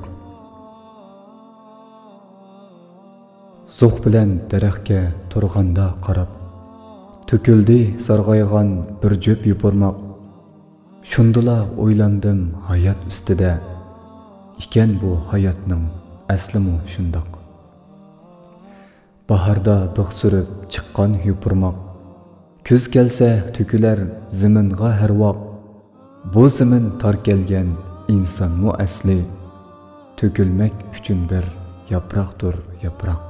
زوق بىلەن دەرەخكە تۇرغاندا قاراپ، تۆكۈلدى سارغايغان بىر جۈپ يوپۇرماق. شۇندىلا ئويلاندىم ھايات ئۈستىدە، ئىكەن بۇ ھاياتنىڭ ئەسلىمۇ شۇنداق. باھاردا بىخ سۈرۈپ چىققان يوپۇرماق، كۈز كەلسە تۆكۈلەر زېمىنغا ھەر ۋاق. بۇ زېمىن تار كەلگەن ئىنسانمۇ ئەسلى، تۆكۈلمەك ئۈچۈن بىر ياپراقتۇر ياپراق.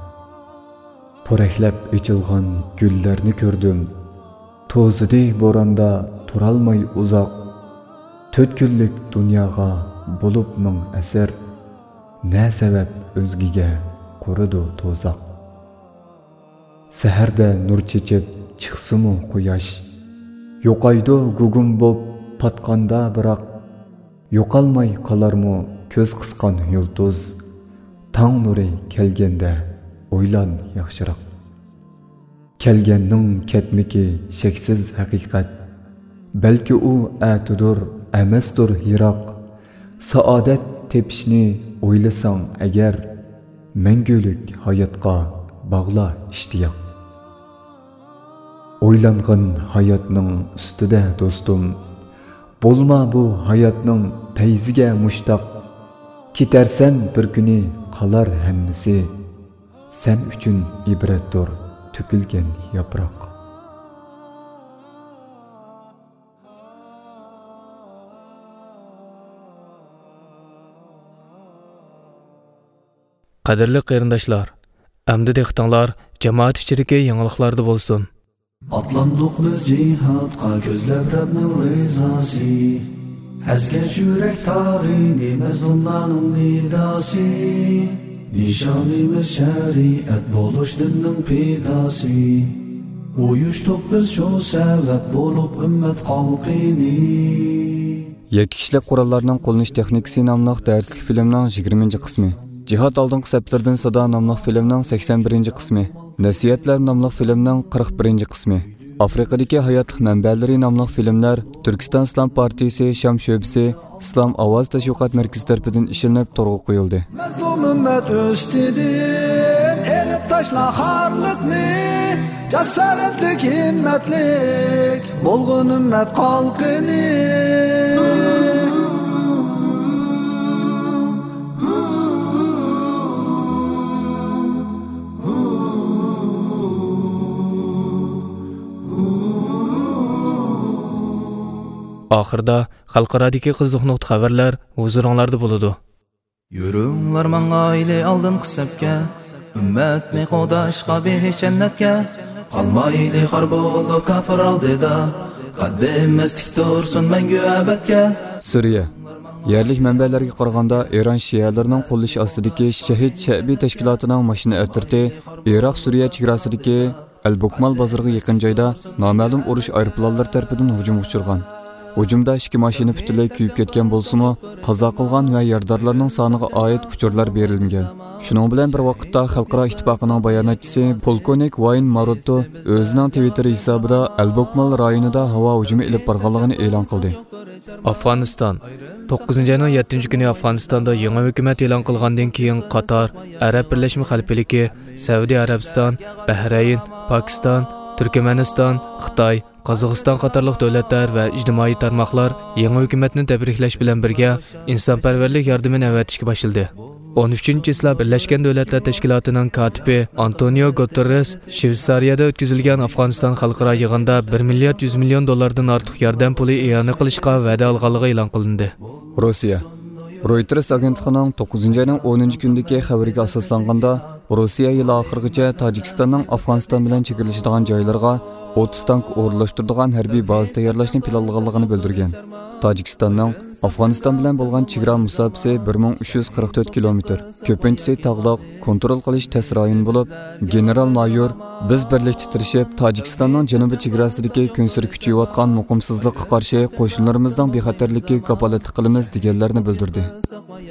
پورەكلەپ ئېچىلغان گۈللەرنى كۆردۈم، توزىدى بوراندا تۇرالماي ئۇزاق. تۆت كۈنلۈك دۇنياغا بولۇپ مىڭ ئەسىر، نە سەۋەب ئۆزگىگە قۇرىدۇ تۇزاق. سەھەردە نۇر چېچىپ چىقسىمۇ قۇياش، يوقايدۇ گۇگۇم بوپ پاتقاندا بىراق. يوقالماي قالارمۇ كۆز قىسقان يۇلتۇز؟ تاڭ نۇرى كەلگەندە ئويلان ياخشىراق. كەلگەننىڭ كەتمىكى شەكسىز ھەقىقەت. بەلكى ئۇ ئەتىدۇر، ئەمەستۇر يىراق. سائادەت تېپىشنى ئويلىساڭ ئەگەر، مەڭگۈلۈك ھاياتقا باغلا ئىشتىياق. ئويلانغىن ھاياتنىڭ ئۈستىدە دوستۇم، بولما بۇ ھاياتنىڭ پەيزىگە مۇشتاق. كېتەرسەن بىر كۈنى، قالار ھەممىسى، سەن ئۈچۈن ئىبرەتتۇر تۆكۈلگەن ياپراق. قەدىرلىك قېرىنداشلار، ئەمدى دىققىتىڭلار جامائەت ئىچىدىكى يېڭىلىقلاردا بولسۇن. ئاتلاندۇق بىز جىھادقا، كۆزلەپ رەبنىڭ رىزاسى. ئەزگەش يۈرەك تارىنى، مەزلۇملارنىڭ نىداسى. نىشانىمىز شەرىئەت بولۇش دىننىڭ پىداسى. ئۇيۇشتۇق بىز شۇ سەۋەب بولۇپ ئۈممەت خەلقىنى. يەككە كىشىلىك قوراللارنىڭ قوللىنىش تېخنىكىسى ناملىق دەرسلىك فىلىمنىڭ يىگىرمىنچى قىسمى. جىھاد ئالدىنقى سەپلىرىدىن سادا ناملىق فىلىمنىڭ سەكسەن بىرىنچى قىسمى. نەسىھەتلەر ناملىق فىلىمنىڭ قىرىق بىرىنچى قىسمى. ئافرىقىدىكى ھاياتلىق مەنبەلىرى ناملىق فىلىملەر تۈركىستان ئىسلام پارتىيىسى شام شۆبىسى ئىسلام ئاۋازى تەشۋىقات مەركىزى تەرىپىدىن ئىشلىنىپ تورغا قويۇلدى. مەزلۇم ئۈممەت ئۈستىدىن ئېلىپ تاشلا خارلىقنى، جاسارەتلىك، ھىممەتلىك بولغىن ئۈممەت قالقىنى. ئاخىرىدا خەلقئارادىكى قىزىق نۇقتا خەۋەرلەر ھۇزۇرۇڭلاردا بولىدۇ. يۈرۈڭلار ماڭايلى ئالدىنقى سەپكە، ئۈممەتنى قوغداشقا بېھىش جەننەتكە. قالمايلى خار بولۇپ كاپىر ئالدىدا، قەددىمىز تىك تۇرسۇن مەڭگۈ ئەبەدكە. سۈرىيە. يەرلىك مەنبەلەرگە قارىغاندا، ئىران شىئەلىرىنىڭ قوللىشى ئاستىدىكى شەھىد شەئبى تەشكىلاتىنىڭ ماشىنا ئەترىتى ئىراق سۈرىيە چېگراسىدىكى ئەل بوكمال بازىرىغا يېقىن جايدا نامەلۇم ئۇرۇش ئايروپىلانلىرى تەرىپىدىن ھۇجۇمغا ئۇچرىغان. ھۇجۇمدا ئىككى ماشىنا پۈتۈنلەي كۆيۈپ كەتكەن بولسىمۇ، قازا قىلغان ۋە يارىدارلارنىڭ سانىغا ئائىت ئۇچۇرلار بېرىلمىگەن. شۇنىڭ بىلەن بىر ۋاقىتتا، خەلقئارا ئىتتىپاقىنىڭ باياناتچىسى پولكوۋنىك ۋاين ماروتتو ئۆزىنىڭ تىۋىتتېر ھېسابىدا ئەل بوكمال رايونىدا ھاۋا ھۇجۇمى ئېلىپ بارغانلىقىنى ئېلان قىلدى. ئافغانىستان. توققۇزىنچى ئاينىڭ يەتتىنچى كۈنى ئافغانىستاندا يېڭى ھۆكۈمەت ئېلان قىلغاندىن كېيىن، قاتار، ئەرەب بىرلەشمە خەلىپىلىكى، سەئۇدى ئەرەبىستان، بەھرەين، پاكىستان، تۈركمەنىستان، خىتاي، قازاقىستان قاتارلىق دۆلەتلەر ۋە ئىجتىمائىي تارماقلار يېڭى ھۆكۈمەتنى تەبرىكلەش بىلەن بىرگە، ئىنسانپەرۋەرلىك ياردىمىنى ئەۋەتىشكە باشلىدى. ئون ئۈچىنچى چىسلا بىرلەشكەن دۆلەتلەر تەشكىلاتىنىڭ كاتىپى ئانتونىيو گۇتېررېس شۋېتسارىيەدە ئۆتكۈزۈلگەن ئافغانىستان خەلقئارا يىغىندا بىر مىليارد يۈز مىليون دوللاردىن ئارتۇق ياردەم پۇلى ئىئانە قىلىشقا ۋەدە ئالغانلىقى ئېلان قىلىندى. روسىيە. رويتېرس ئاگېنتلىقىنىڭ توققۇزىنچى ئاينىڭ ئونىنچى كۈنىدىكى خەۋىرىگە ئاساسلانغاندا، روسىيە يىل ئاخىرىغىچە تاجىكىستاننىڭ ئافغانىستان بىلەن چېگرىلىشىدىغان جايلىرىغا ئوتتۇز تانك ئورۇنلاشتۇرىدىغان ھەربىي بازا تەييارلاشنى پىلانلىغانلىقىنى بىلدۈرگەن. تاجىكىستاننىڭ ئافغانىستان بىلەن بولغان چېگرا مۇساپىسى بىر مىڭ ئۈچ يۈز قىرىق تۆت كىلومېتىر. كۆپىنچىسى تاغلىق، كونترول قىلىش تەس رايون بولۇپ، گېنېرال مايور، بىز بىرلىكتە تىرىشىپ، تاجىكىستاننىڭ جەنۇبىي چېگراسىدىكى كۈنسېرى كۈچىيىۋاتقان مۇقىمسىزلىققا قارشى قوشۇنلىرىمىزنىڭ بىخەتەرلىكىگە كاپالەتلىك قىلىمىز، دېگەنلەرنى بىلدۈردى.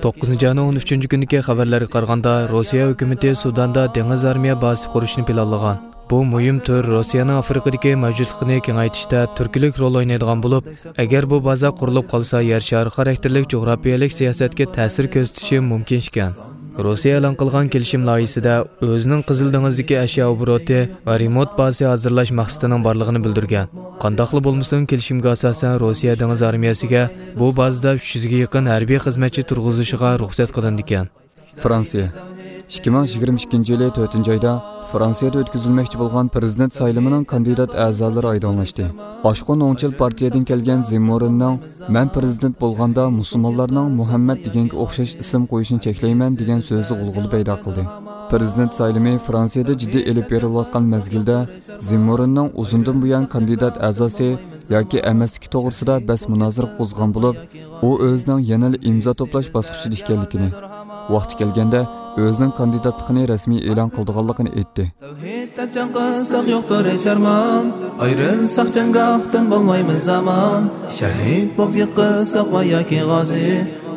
توققۇزىنچى ئاينىڭ ئون ئۈچىنچى كۈنىدىكى خەۋەرلەرگە قارىغاندا، روسىيە ھۆكۈمىتى سۇداندا دېڭىز ئارمىيە بازىسى قۇرۇشنى پىلانلىغان. بۇ مۇھىم تۈر روسىيەنىڭ ئافرىقىدىكى مەۋجۇتلۇقىنى كېڭەيتىشتە تۈرتكىلىك رول ئوينايدىغان بولۇپ، ئەگەر بۇ بازا قۇرۇلۇپ قالسا، يەر شارى خاراكتېرلىك جۇغراپىيەلىك سىياسەتكە تەسىر كۆرسىتىشى مۇمكىن ئىكەن. روسىيە ئېلان قىلغان كېلىشىم لايىھىسىدە ئۆزىنىڭ قىزىل دېڭىزدىكى ئەشيا ئوبوروتى ۋە رېمونت بازىسى ھازىرلاش مەقسىتىنىڭ بارلىقىنى بىلدۈرگەن. قانداقلا بولمىسۇن، كېلىشىمگە ئاساسەن، روسىيە دېڭىز ئارمىيەسىگە بۇ بازىدا ئۈچ يۈزگە يېقىن ھەربىي خىزمەتچى تۇرغۇزۇشىغا رۇخسەت قىلىنىدىكەن. فرانسىيە. ئىككى مىڭ يىگىرمە ئىككىنچى يىلى تۆتىنچى ئايدا فرانسىيەدە ئۆتكۈزۈلمەكچى بولغان پىرېزىدېنت سايلىمىنىڭ كاندىدات ئەزالىرى ئايدىڭلاشتى. ئاشقۇن ئوڭچىل پارتىيەدىن كەلگەن زېممورىننىڭ «مەن پىرېزىدېنت بولغاندا مۇسۇلمانلارنىڭ مۇھەممەد دېگەنگە ئوخشاش ئىسىم قويۇشىنى چەكلەيمەن» دېگەن سۆزى غۇلغۇلا پەيدا قىلدى. پىرېزىدېنت سايلىمى فرانسىيەدە جىددىي ئېلىپ بېرىلىۋاتقان مەزگىلدە، زېممورىننىڭ ئۇزۇندىن بۇيان كاندىدات ئەزاسى ياكى ئەمەسلىكى توغرىسىدا بەس مۇنازىرە قوزغىغان بولۇپ، ئۇ ئۆزىنىڭ يەنىلا ئىمزا توپلاش باسقۇچىدا ئىكەنلىكىنى، ۋاقتى كەلگەندە ئۆزىنىڭ كاندىداتلىقىنى رەسمىي ئېلان قىلىدىغانلىقىنى ئېيتتى. تەۋھىد دەپ جەڭ قىلساق يوقتۇر ھېچ ئارمان، ئايرىلساق جەڭگاھتىن بولمايمىز ئامان، شەھىد بوپ يىقىلساق ۋە ياكى غازى،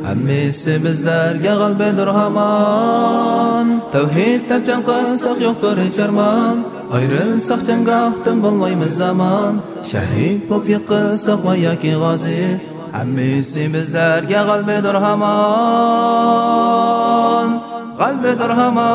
ھەممىسى بىزلەرگە غەلىبىدۇر ھامان. تەۋھىد دەپ جەڭ قىلساق يوقتۇر ھېچ ئارمان، ئايرىلساق جەڭگاھتىن بولمايمىز ئامان، شەھىد بوپ يىقىلساق ۋە ياكى غازى، ھەممىسى بىزلەرگە غەلىبىدۇر ھامان، غەلىبىدۇر ھامان.